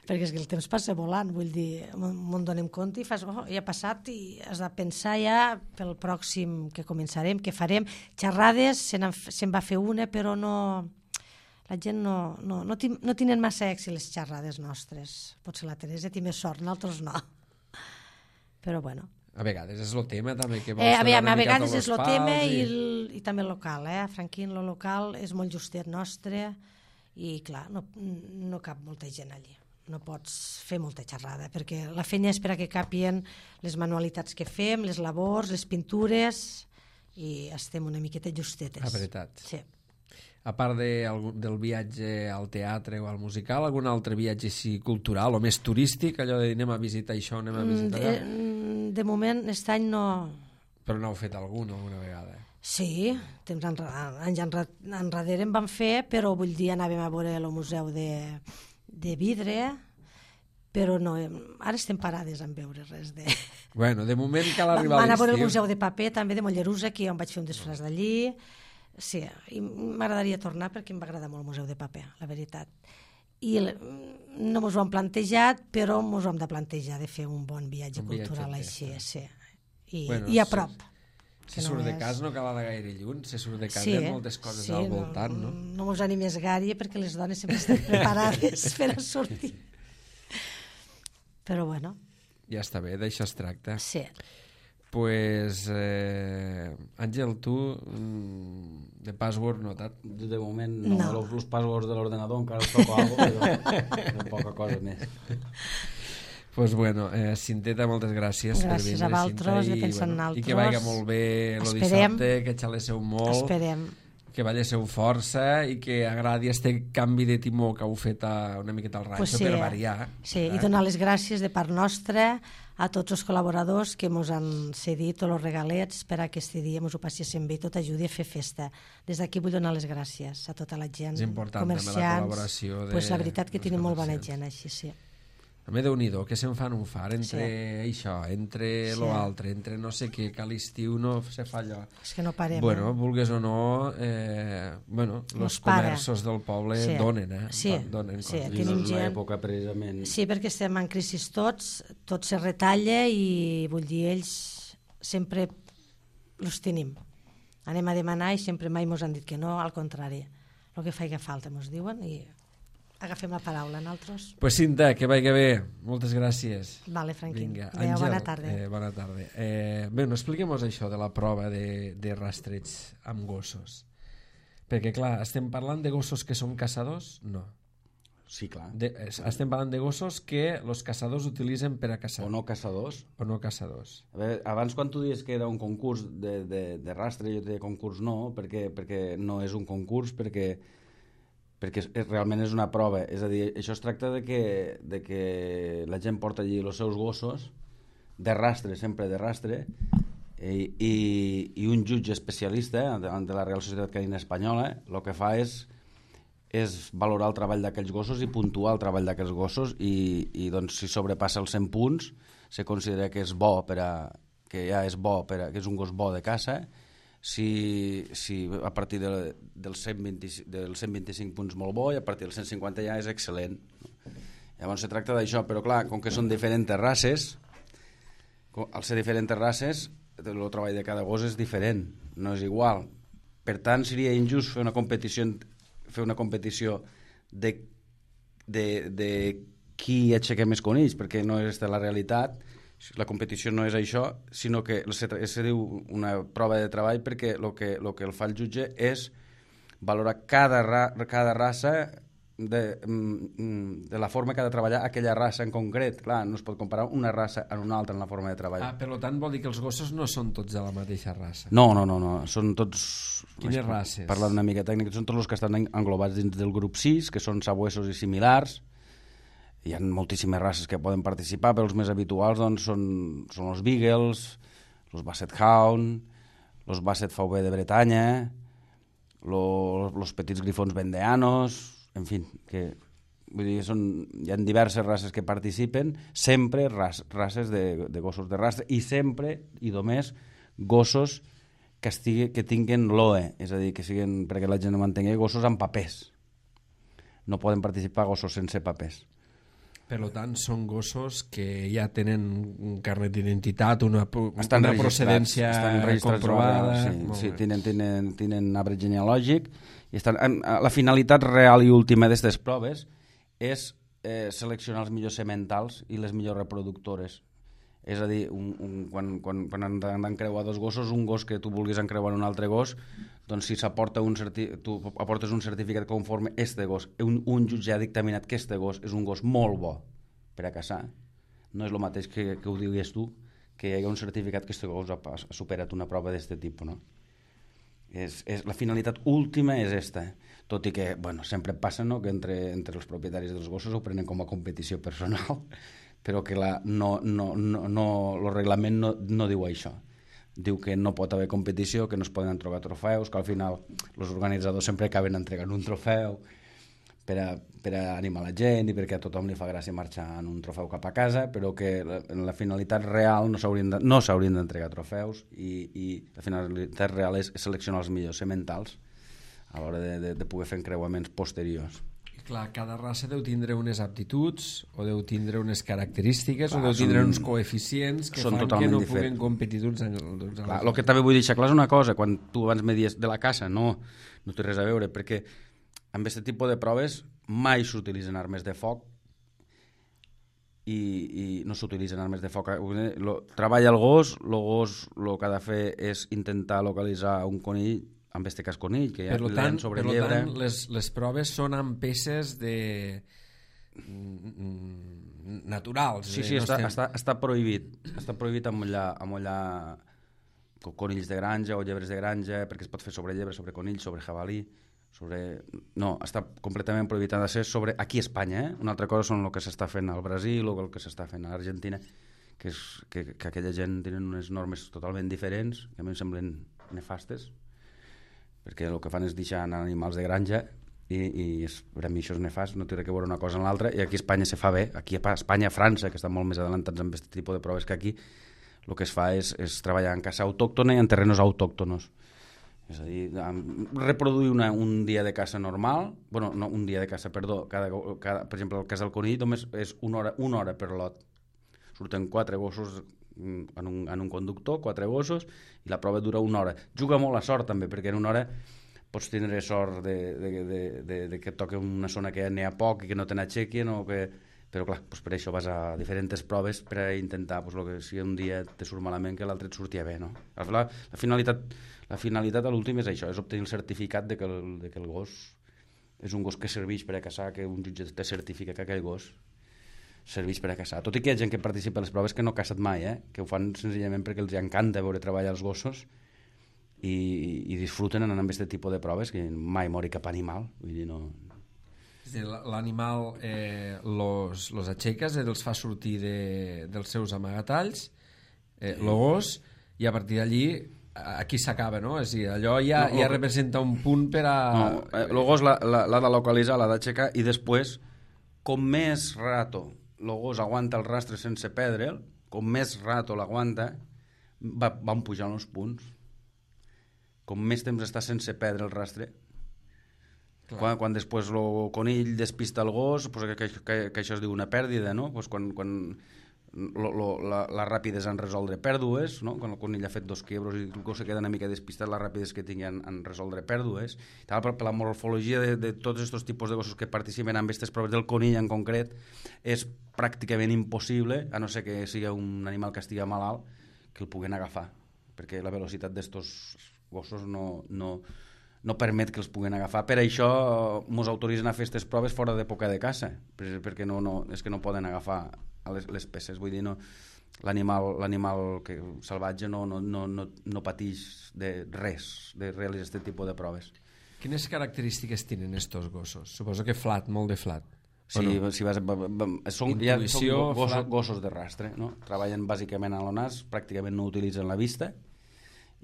Perquè és que el temps passa volant, vull dir, me'n donem compte i fas, ja ha passat i has de pensar ja pel pròxim que començarem, que farem. Xerrades, se'n va fer una, però no... La gent no tenen massa èxit les xerrades nostres. Potser la Teresa té més sort, nosaltres no. Però bueno. A vegades és el tema també que a vegades és el tema i també el local, Franquín, el local és molt justet nostre i clar, no cap molta gent allí, no pots fer molta xerrada perquè la feina és per a que capien les manualitats que fem, les labors, les pintures i estem una miqueta justetes. La veritat. Sí. A part del viatge al teatre o al musical, algun altre viatge així cultural o més turístic, allò de anem a visitar això, anem a visitar allò? De moment, aquest any no... Però n'heu fet alguna vegada? Sí, anys enrere en vam fer, però vull dir, anàvem a veure el museu de vidre, però no, ara estem parades en veure res de... Bueno, de moment cal arribar a l'estiu. Van a veure el museu de paper, també de Mollerussa, que jo em vaig fer un disfràs d'allí. Sí, i m'agradaria tornar perquè em va agradar molt el museu de paper, la veritat. I no mos ho hem plantejat, però mos ho hem de plantejar de fer un bon viatge cultural així, sí. I a prop. Si surt de cas no cal anar gaire lluny, si surt de cas hi ha moltes coses al voltant, no? No mos animes gaire perquè les dones sempre estan preparades per a sortir. Però bueno. Ja està bé, d'això es tracta. Sí. Pues, Àngel, tu de password notat? De moment no. Els passwords de l'ordenador encara els toco alguna cosa, però poca cosa més. Pues bueno, Cinteta, moltes gràcies per vindre. Gràcies a vosaltres, de pensar en altres. I que vagi molt bé el dissabte, que xalesseu molt. Esperem. Que ballesseu força i que agradi este canvi de timó que heu fet una miqueta al ranxo per variar. Sí, i donar les gràcies de part nostra a tots els col·laboradors que ens han cedit tots els regalets per a aquest dia ens ho passéssim bé i tot ajudi a fer festa. Des d'aquí vull donar les gràcies a tota la gent, comerciants. La col·laboració pues la veritat que tenen molt bona gent així, sí. A mi Déu-n'hi-do, que se'n fan un far entre això, entre l'altre, entre no sé què, que a l'estiu no se fa allò. És que no parem. Bueno, vulgues o no, els comerços del poble donen, donen coses. I no és una època precisament... Sí, perquè estem en crisi tots, tot se retalla i vull dir, ells sempre els tenim. Anem a demanar i sempre mai ens han dit que no, al contrari. El que faci falta ens diuen i... agafem la paraula, nosaltres. Pues Cinta, que vagi bé. Moltes gràcies. Vale, Franquín. Vinga, Adéu, bona tarda. Bona tarda. Bé, expliquem-nos això de la prova de rastreig amb gossos. Perquè, clar, estem parlant de gossos que són caçadors? No. Sí, clar. Estem parlant de gossos que els caçadors utilitzen per a caçar. O no caçadors. O no caçadors. A veure, abans quan tu dius que era un concurs de rastre, jo te deia concurs no, perquè no és un concurs, perquè realment és una prova. És a dir, això es tracta de que la gent porta allí els seus gossos de rastre, sempre de rastre, i un jutge especialista de la Real Societat Canina Espanyola el que fa és valorar el treball d'aquells gossos i puntuar el treball d'aquells gossos i doncs, si sobrepassa els 100 punts se considera que és bo que és un gos bo de caça. Si a partir dels 125 punts molt bo i a partir dels 150 ja és excel·lent. Llavors se tracta d'això, però clar, com que són diferents races, al ser diferents races el treball de cada gos és diferent, no és igual. Per tant, seria injust fer una competició de qui aixeca més conills, perquè no és la realitat. La competició no és això, sinó que se diu una prova de treball, perquè el que el fa el jutge és valorar cada raça de la forma que ha de treballar aquella raça en concret. Clar, no es pot comparar una raça amb una altra en la forma de treball. Per tant, vol dir que els gossos no són tots de la mateixa raça? No. Són tots... Quines races? Parlant una mica tècnica, són tots els que estan englobats dins del grup 6, que són sabuesos i similars. Hi ha moltíssimes races que poden participar, però els més habituals doncs, són els Beagles, els Basset Hound, els Basset VB de Bretanya, els petits grifons vendeanos, en fi, vull dir, hi ha diverses races que participen, sempre races de gossos de rastre, i sempre, i només, gossos que tinguin l'OE, és a dir, que siguin, perquè la gent no m'entengui, gossos amb papers. No poden participar gossos sense papers. Per tant, són gossos que ja tenen un carnet d'identitat, una procedència comprovada. Sí, tenen arbre genealògic. I la finalitat real i última d'aquestes proves és seleccionar els millors sementals i les millors reproductores. És a dir, quan han d'encreuar dos gossos, un gos que tu vulguis encreuar un altre gos, doncs si tu aportes un certificat conforme este gos, un jutge ha dictaminat que este gos és un gos molt bo per a caçar, no és el mateix que ho digues tu, que hi ha un certificat que este gos ha superat una prova d'aquest tipus, no? La finalitat última és esta, tot i que sempre passa que entre els propietaris dels gossos ho prenen com a competició personal, però que el reglament no diu això. Diu que no pot haver competició, que no es poden entregar trofeus, que al final els organitzadors sempre acaben entregant un trofeu per a animar la gent i perquè a tothom li fa gràcia marxar en un trofeu cap a casa, però que la finalitat real no s'haurien d'entregar trofeus i la finalitat real és seleccionar els millors sementals a l'hora de poder fer encreuaments posteriors. Clar, cada raça deu tindre unes aptituds o deu tindre unes característiques o deu tindre uns coeficients que fan que no puguen competir d'uns anys. El que també vull deixar clar és una cosa, quan tu abans me dius de la caça, no té res a veure, perquè amb aquest tipus de proves mai s'utilitzen armes de foc i no s'utilitzen armes de foc. Treballa el gos el que ha de fer és intentar localitzar un conill, en aquest cas conill, que ja l'hem sobre llebre. Per tant, les proves són amb peces naturals. Sí, està prohibit. Està prohibit amollar conills de granja o llebres de granja, perquè es pot fer sobre llebre, sobre conill, sobre jabalí. No, està completament prohibit. Ha de ser sobre aquí a Espanya. Una altra cosa són el que s'està fent al Brasil o el que s'està fent a l'Argentina, que aquella gent tenen unes normes totalment diferents, que a mi em semblen nefastes, perquè el que fan és deixar anar animals de granja i per a mi això és nefast, no té res a veure una cosa amb l'altra, i aquí a Espanya se fa bé. Aquí a Espanya, a França, que estan molt més adelantats amb aquest tipus de proves que aquí, el que es fa és treballar en caça autòctona i en terrenos autòctonos. És a dir, reproduir un dia de caça normal, no un dia de caça, perdó, per exemple, el cas del conill només és una hora per lot. Surten 4 gossos en un conductor, 4 gossos, i la prova dura una hora. Juga molt a sort també, perquè en una hora pots tindre sort de que et toqui una zona que n'hi ha poc i que no te n'aixequin, però clar, per això vas a diferents proves per a intentar que si un dia te surt malament que l'altre et sortia bé, no? La finalitat a l'últim és això, és obtenir el certificat de que el gos és un gos que serveix per a caçar, que un jutge te certifica que aquell gos serveix per a caçar. Tot i que hi ha gent que participa a les proves que no ha caçat mai, que ho fan senzillament perquè els encanta veure treballar els gossos i disfruten anant amb aquest tipus de proves, que mai mori cap animal. Vull dir, no... L'animal los aixeques, els fa sortir dels seus amagatalls, el gos, i a partir d'allí aquí s'acaba, no? És a dir, allò ja representa un punt per a... No, el gos l'ha de localitzar, l'ha d'aixecar, i després, com més rato el gos aguanta el rastre sense perdre'l, com més rato l'aguanta, van pujant els punts. Com més temps està sense perdre el rastre, quan després el conill despista el gos, que això es diu una pèrdida, no? Quan la rapidesa en resoldre pèrdues, no? Quan el conill ha fet 2 quiebros i el gos se queda una mica despistat, la rapidesa que tingui en resoldre pèrdues. Per la morfologia de tots aquests tipus de gossos que participen en aquestes proves del conill en concret, és pràcticament impossible, a no ser que sigui un animal que estigui malalt, que el puguen agafar, perquè la velocitat d'estos gossos no permet que els puguen agafar. Per això ens autoritzen a fer aquestes proves fora d'època de caça, perquè és que no poden agafar les peces. Vull dir, l'animal salvatge no pateix de res de realitzar aquest tipus de proves. Quines característiques tenen estos gossos? Suposo que flat, molt de flat. Sí, no? Són gossos de rastre, no? Treballen bàsicament a l'ONAS, pràcticament no utilitzen la vista,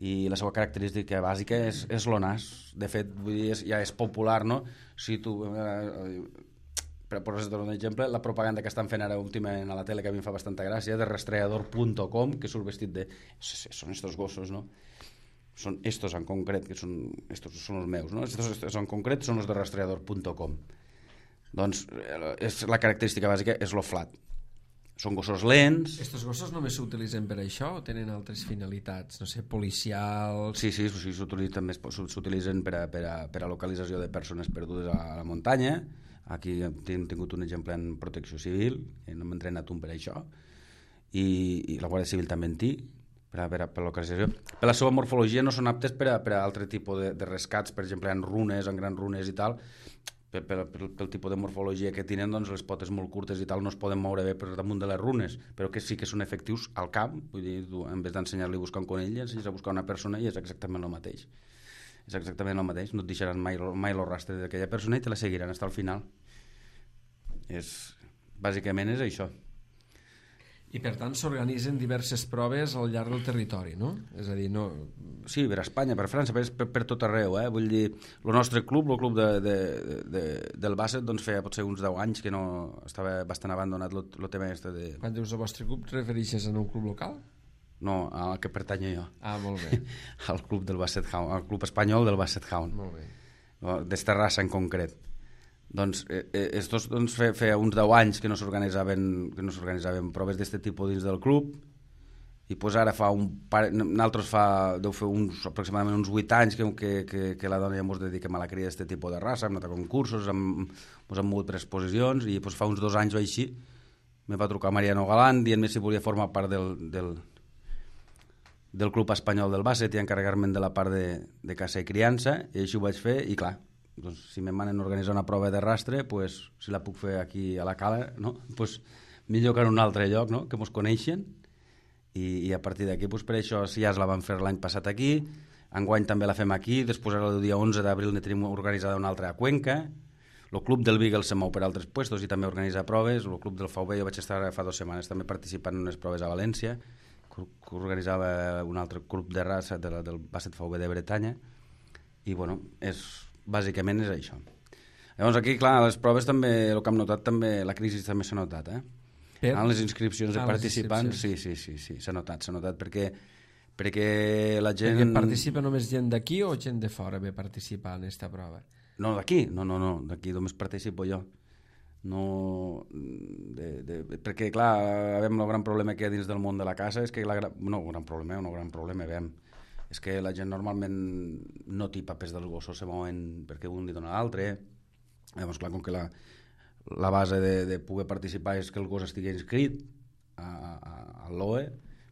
i la seva característica bàsica és l'ONAS. De fet, vull dir, ja és popular, no? Si tu, per posar-te un exemple, la propaganda que estan fent ara últimament a la tele, que a mi em fa bastanta gràcia, de rastreador.com, que surt vestit de... Són estos gossos, no? Són estos en concret, que estos són els meus, no? Estos en concret són els de rastreador.com. Doncs la característica bàsica és lo flat. Són gossos lents. Estos gossos només s'utilitzen per això o tenen altres finalitats? No sé, policials... Sí, s'utilitzen per a localització de persones perdudes a la muntanya. Aquí hem tingut un exemple en protecció civil, no hem entrenat un per això, i la Guàrdia Civil també en té, per a localització. Per la seva morfologia no són aptes per a altre tipus de rescats, per exemple, en runes, en grans runes i tal. Pel tipus de morfologia que tenen, doncs les potes molt curtes i tal no es poden moure bé per damunt de les runes, però que sí que són efectius al camp. Vull dir, tu, en vez d'ensenyar-li a buscar un conill, ensenyes a buscar una persona i és exactament el mateix. És exactament el mateix, no et deixaran mai el rastre d'aquella persona i te la seguiran fins al final. Bàsicament és això. I per tant s'organitzen diverses proves al llarg del territori, no? És a dir, no... Sí, per Espanya, per França, per tot arreu, eh? Vull dir, el nostre club, el club del bàsquet, doncs feia potser uns 10 anys que no estava bastant abandonat el tema este de... Quan dius el vostre club, refereixes a un club local? No, al que pertanyo jo. Ah, molt bé. Al club del Basset Hound, al club espanyol del Basset Hound. Molt bé. D'esta raça en concret. Doncs estos feia uns 10 anys que no s'organitzaven proves d'aquest tipus dins del club, i pues ara nosaltres deu fer aproximadament uns 8 anys que la dona ja ens dediquem a la cria d'aquest tipus de raça, hem anat a concursos, ens hem mogut per exposicions, i pues fa uns 2 anys o així me va trucar Mariano Galán dient-me si volia formar part del club espanyol del bàsquet i encarregar-me'n de la part de caça i criança, i així ho vaig fer, i clar, doncs, si me manen a organitzar una prova de rastre, pues, si la puc fer aquí a la cala, no? Pues, millor que en un altre lloc, no? Que mos coneixen, i a partir d'aquí, pues, per això si ja la vam fer l'any passat aquí, enguany també la fem aquí, després el dia 11 d'abril ne tenim organitzada una altra a Cuenca, el club del Beagle se mou per altres puestos i també organitza proves, el club del VB jo vaig estar fa 2 setmanes també participant en unes proves a València, que organitzava un altre club de raça del Basset VB de Bretanya, i bueno, bàsicament és això. Llavors aquí, clar, les proves també, el que hem notat també, la crisi també s'ha notat, en les inscripcions de participants, sí, s'ha notat perquè la gent... Perquè participa només gent d'aquí o gent de fora ve participar en aquesta prova? No, d'aquí, d'aquí només participo jo. No, perquè, clar, el gran problema que hi ha dins del món de la caça és que gran problema, és que la gent normalment no té papers dels gossos, se mouen perquè un li dona l'altre. Llavors, clar, com que la base de poder participar és que el gos estigui inscrit a l'OE,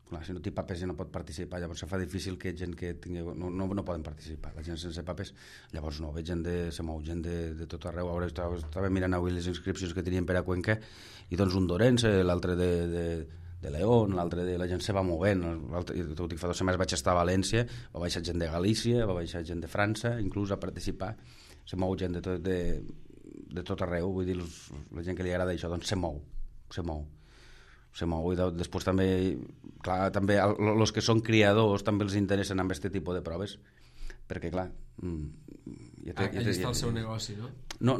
clar, si no té papers ja no pot participar, llavors se fa difícil que gent que tingui... No poden participar, la gent sense papers. Llavors no, se mou gent de tot arreu. Ara estava mirant avui les inscripcions que tenien per a Cuenca, i doncs un d'Orense, l'altre de León, l'altre de la gent se va movent. Tot i que fa 2 setmanes vaig estar a València, va baixar gent de Galícia, va baixar gent de França, inclús a participar. Se mou gent de tot arreu, vull dir, la gent que li agrada això, doncs se mou. I després també, clar, també els que són criadors també els interessen amb aquest tipus de proves, perquè clar... Allà està el seu negoci, no? No,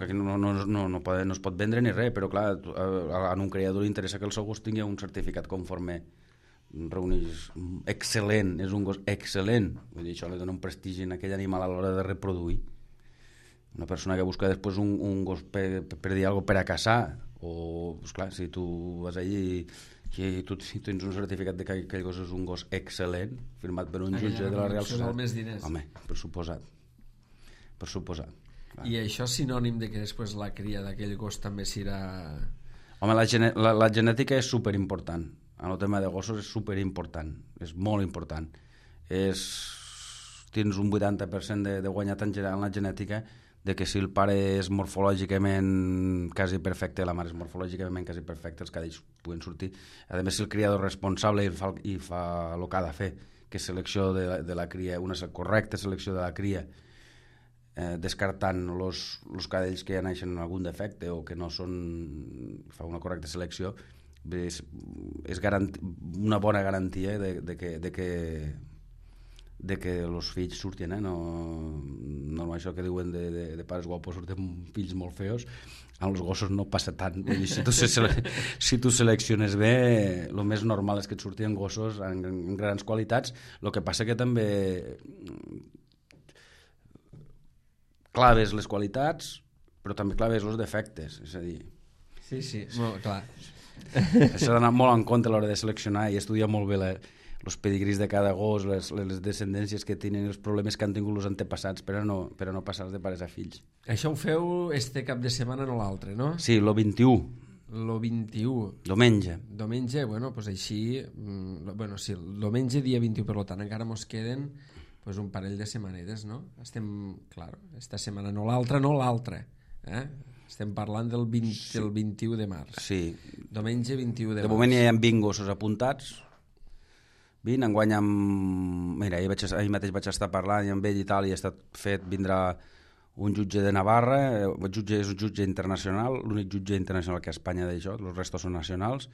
que no es pot vendre ni res, però clar, a un criador li interessa que el seu gos tingui un certificat conforme reuneix excel·lent, és un gos excel·lent, vull dir, això li dona un prestigi a aquell animal a l'hora de reproduir. Una persona que busca després un gos per dir alguna cosa per a caçar, o, pues clar, si tu vas allí I tu tens un certificat de que aquell gos és un gos excel·lent, firmat per un jutge de la Real Societat. Més diners. Home, per suposat. I això és sinònim de que després la cria d'aquell gos també serà... Home, la genètica és superimportant. En el tema de gossos és superimportant. És molt important. Tens un 80% de guanyat en la genètica, de que si el pare és morfològicament quasi perfecte, la mare és morfològicament quasi perfecta, els cadells puguen sortir. A més, si el criador responsable i fa el que ha de fer, que és selecció de la cria, una correcta selecció de la cria, descartant els cadells que ja naixen amb algun defecte o que no són... fa una correcta selecció, és una bona garantia de que els fills surtin, no això que diuen de pares guapos surten fills molt feos. Amb els gossos no passa tant. Vull dir, si tu selecciones bé, el més normal és que et surtin gossos en grans qualitats. El que passa que també claves les qualitats, però també claves els defectes, és a dir... Sí, molt clar. S'ha d'anar molt en compte a l'hora de seleccionar i estudiar molt bé els pedigrís de cada gos, les descendències que tenen, els problemes que han tingut els antepassats per a no passar-los de pares a fills. Això ho feu este cap de setmana, no l'altre, no? Sí, el 21. El 21. Diumenge. Diumenge, bueno, doncs així... Bueno, sí, el diumenge dia 21, per tant, encara mos queden pues, un parell de setmanetes, no? Estem, clar, esta setmana no l'altra, estem parlant del 21 de març. Sí. Diumenge 21 de març. De moment ja hi ha 20 gossos apuntats. 20, enguany mira, ahir mateix vaig estar parlant i amb ell i tal, i ha estat fet, vindrà un jutge de Navarra, el jutge és un jutge internacional, l'únic jutge internacional que a Espanya d'això, els restos són nacionals,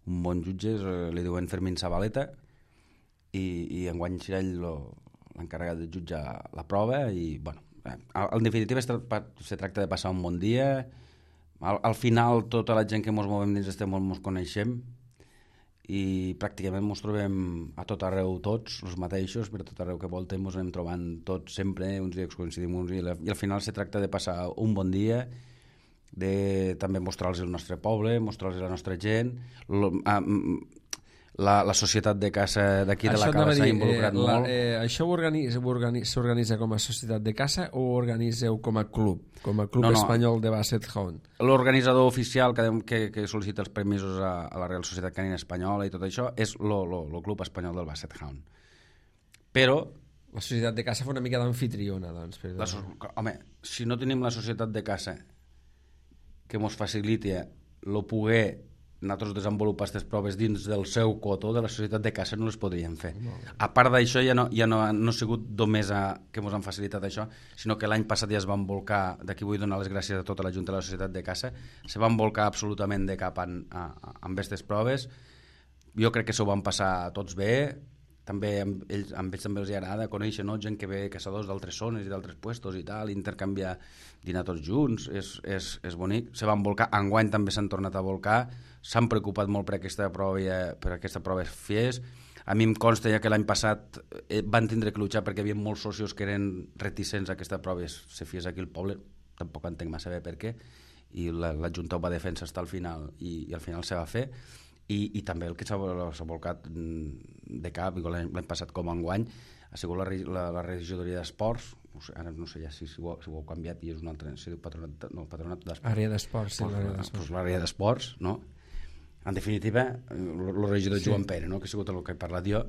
un bon jutge, li diuen Fermín Zabaleta, i enguany serà ell l'encarregat de jutjar la prova, i bueno, en definitiva se tracta de passar un bon dia. Al final tota la gent que ens movem dins este món ens coneixem, i pràcticament ens trobem a tot arreu tots, els mateixos, per tot arreu que voltem ens anem trobant tots sempre, uns dies coincidim uns i al final se tracta de passar un bon dia, de també mostrar-los el nostre poble, mostrar-los la nostra gent, la societat de caça d'aquí de la Cala s'ha involucrat molt. Això s'organitza com a societat de caça o ho organitzeu com a club espanyol de Basset Hound? L'organitzador oficial que sol·licita els permisos a la Real Societat Canina Espanyola i tot això és el club espanyol del Basset Hound. Però la societat de caça fa una mica d'amfitriona, doncs. Home, si no tenim la societat de caça que ens faciliti el poder nosaltres desenvolupar aquestes proves dins del seu cotó, de la societat de caça no les podríem fer. A part d'això, ja no ha sigut només que ens han facilitat això, sinó que l'any passat ja es van volcar, d'aquí vull donar les gràcies a tota la Junta de la Societat de Caça, se van volcar absolutament de cap amb aquestes proves. Jo crec que s'ho van passar tots bé, també amb ells també els agrada conèixer gent que ve caçadors d'altres zones i d'altres puestos i tal, intercanviar, dinar tots junts, és bonic. Se van volcar, enguany també s'han tornat a volcar, s'han preocupat molt per aquesta prova fes. A mi em consta ja que l'any passat van tindre que luchar perquè hi havia molts socios que eren reticents a aquesta prova se fes aquí al poble, tampoc entenc massa bé per què, i la Junta ho va defensar fins al final i al final se va fer. I també el que s'ha volcat de cap, l'any passat com enguany, ha sigut la regidoria d'esports, ara no sé ja si ho heu canviat i és un altre, si diu patronat d'esports. Àrea d'esports, sí, l'àrea d'esports, no? En definitiva, el regidor Joan Pere, que ha sigut el que he parlat jo,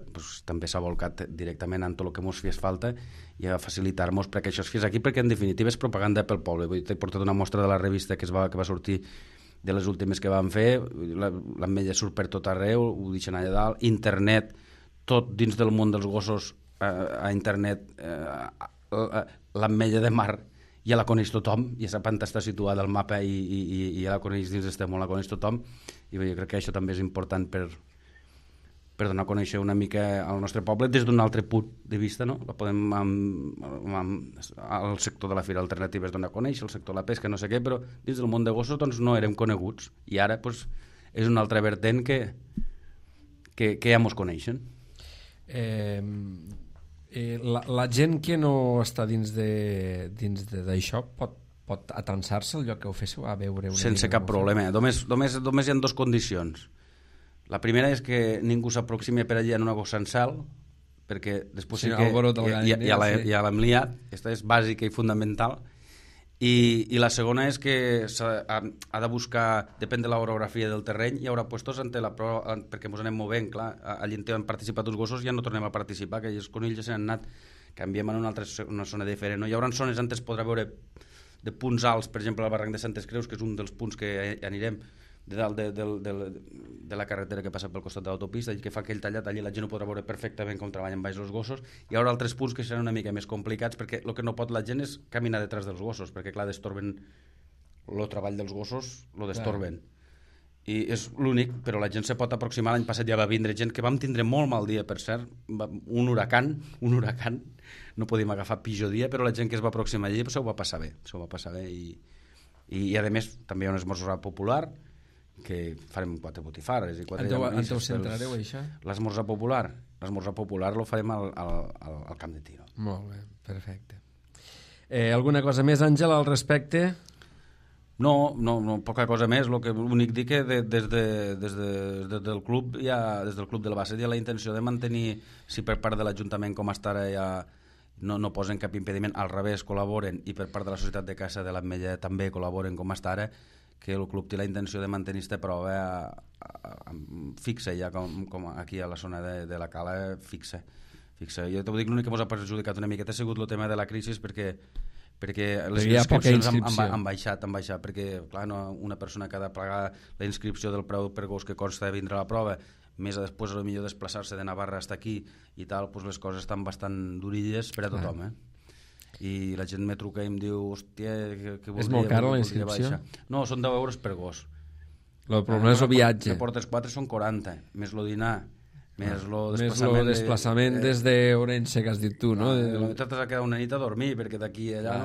també s'ha volcat directament en tot el que ens fes falta i a facilitar-nos perquè això es fes aquí, perquè en definitiva és propaganda pel poble. T'he portat una mostra de la revista que va sortir de les últimes que van fer, l'ametlla surt per tot arreu, ho deixen allà dalt, internet, tot dins del món dels gossos, a internet, l'ametlla de mar ja la coneix tothom, ja sap on està situada al mapa i ja la coneix dins d'este món, la coneix tothom, i jo crec que això també és important per donar a conèixer una mica al nostre poble des d'un altre punt de vista, no? La podem al sector de la fira alternativa es dona a conèixer, el sector de la pesca, no sé què, però dins del món de gossos doncs no érem coneguts i ara és una altra vertent que ja mos coneixen. La gent que no està dins d'això pot atansar-se al lloc que ho féssiu a veure una sense cap problema. Només hi ha dues condicions. La primera és que ningú s'aproximi per allà en una gossa en cel, perquè després sí que ja l'hem liat. Aquesta és bàsica i fundamental. I la segona és que ha de buscar, depèn de l'orografia del terreny, hi haurà puestos perquè ens anem movent, clar, allà on han participat uns gossos ja no tornem a participar, que els conills ja s'han anat, canviem en una zona diferent, no? Hi haurà zones on es podrà veure de punts alts, per exemple al barranc de Santes Creus, que és un dels punts que anirem de dalt de la carretera que passa pel costat de l'autopista, que fa aquell tallat, allà la gent ho podrà veure perfectament com treballen baix els gossos. Hi haurà altres punts que seran una mica més complicats, perquè el que no pot la gent és caminar detrás dels gossos, perquè clar, destorben el treball dels gossos, lo destorben. I és l'únic, però la gent se pot aproximar. L'any passat ja va vindre gent que vam tindre molt mal dia, per cert, un huracan, no podíem agafar pitjor dia, però la gent que es va aproximar allà s'ho va passar bé, i a més també hi ha un esmorzar popular, que farem 4 botifarres i 4 llamis. On ho centrareu, això? L'esmorzar popular lo farem al camp de tiro. Molt bé, perfecte. Alguna cosa més, Àngel, al respecte? No, poca cosa més. L'únic dir que des del club de la base hi ha la intenció de mantenir, si per part de l'Ajuntament com està ara ja no posen cap impediment, al revés col·laboren, i per part de la Societat de Caça de l'Ametlla també col·laboren com està ara, que el club té la intenció de mantenir aquesta prova fixa, ja com aquí a la zona de la cala, fixa. Jo t'ho dic, l'únic que ens ha perjudicat una miqueta ha sigut el tema de la crisi, perquè les inscripcions han baixat, perquè clar, una persona que ha de pagar la inscripció del preu per gos que consta de vindre a la prova, més a després potser desplaçar-se de Navarra fins aquí i tal, doncs les coses estan bastant durilles per a tothom, i la gent me truca i em diu, hòstia, que voldria... És molt cara la inscripció? No, són 10 euros per gos. El problema és el viatge. Que portes 4 són 40, més el dinar, més el desplaçament des d'Orense, que has dit tu, no? T'has de quedar una nit a dormir, perquè d'aquí a allà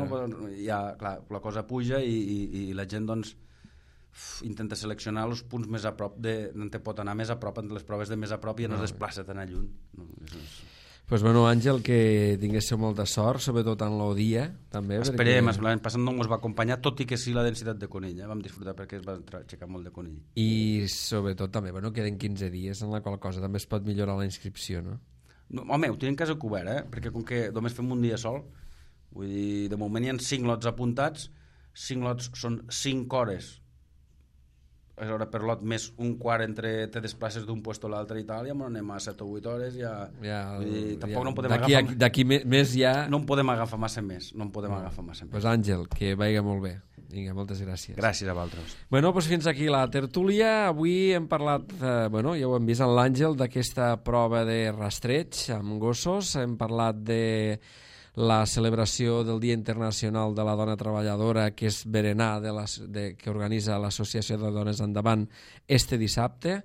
ja, clar, la cosa puja i la gent, doncs, intenta seleccionar els punts més a prop, on te pot anar més a prop, en les proves de més a prop, i no es desplaça tan a lluny. Pues bueno, Àngel, que tinguéssiu molta sort, sobretot en el dia, també. Esperem, l'any passat no ens va acompanyar, tot i que sí la densitat de conill, vam disfrutar perquè es va aixecar molt de conill. I sobretot també, queden 15 dies, en la qual cosa també es pot millorar la inscripció, no? Home, ho tenim quasi cobert, perquè com que només fem un dia sol, vull dir, de moment hi ha 5 lots apuntats, 5 lots són 5 hores, és hora per lot, més un quart entre te desplaces d'un puesto a l'altre i tal, ja anem a 7 o 8 hores, tampoc no podem agafar... D'aquí més ja... No en podem agafar massa més, Pues Àngel, que vagi molt bé. Vinga, moltes gràcies. Gràcies a vosaltres. Bueno, doncs fins aquí la tertúlia. Avui hem parlat, ja ho hem vist en l'Àngel, d'aquesta prova de rastreig amb gossos. Hem parlat de la celebració del Dia Internacional de la Dona Treballadora, que és berenar que organitza l'Associació de Dones Endavant este dissabte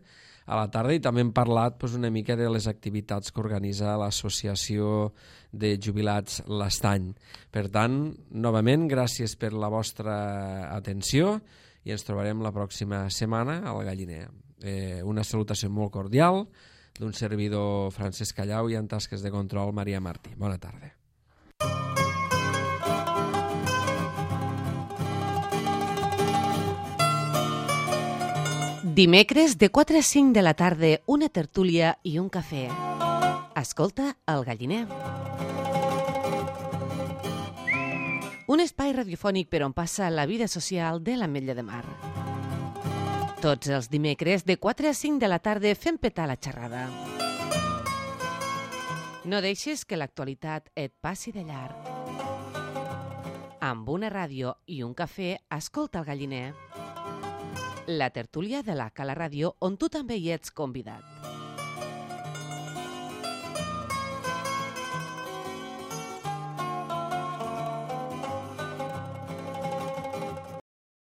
a la tarda, i també hem parlat una mica de les activitats que organitza l'Associació de Jubilats l'Estany. Per tant, novament, gràcies per la vostra atenció i ens trobarem la pròxima setmana al Galliner. Una salutació molt cordial d'un servidor Francesc Callau i en tasques de control Maria Martí. Bona tarda. Dimecres de 4 a 5 de la tarda, una tertúlia i un cafè. Escolta El Galliner. Un espai radiofònic per on passa la vida social de l'Ametlla de Mar. Tots els dimecres de 4 a 5 de la tarda fem petar la xerrada. No deixes que l'actualitat et passi de llarg. Amb una ràdio i un cafè, escolta El Galliner. La tertúlia de la Cala Ràdio, on tu també hi ets convidat.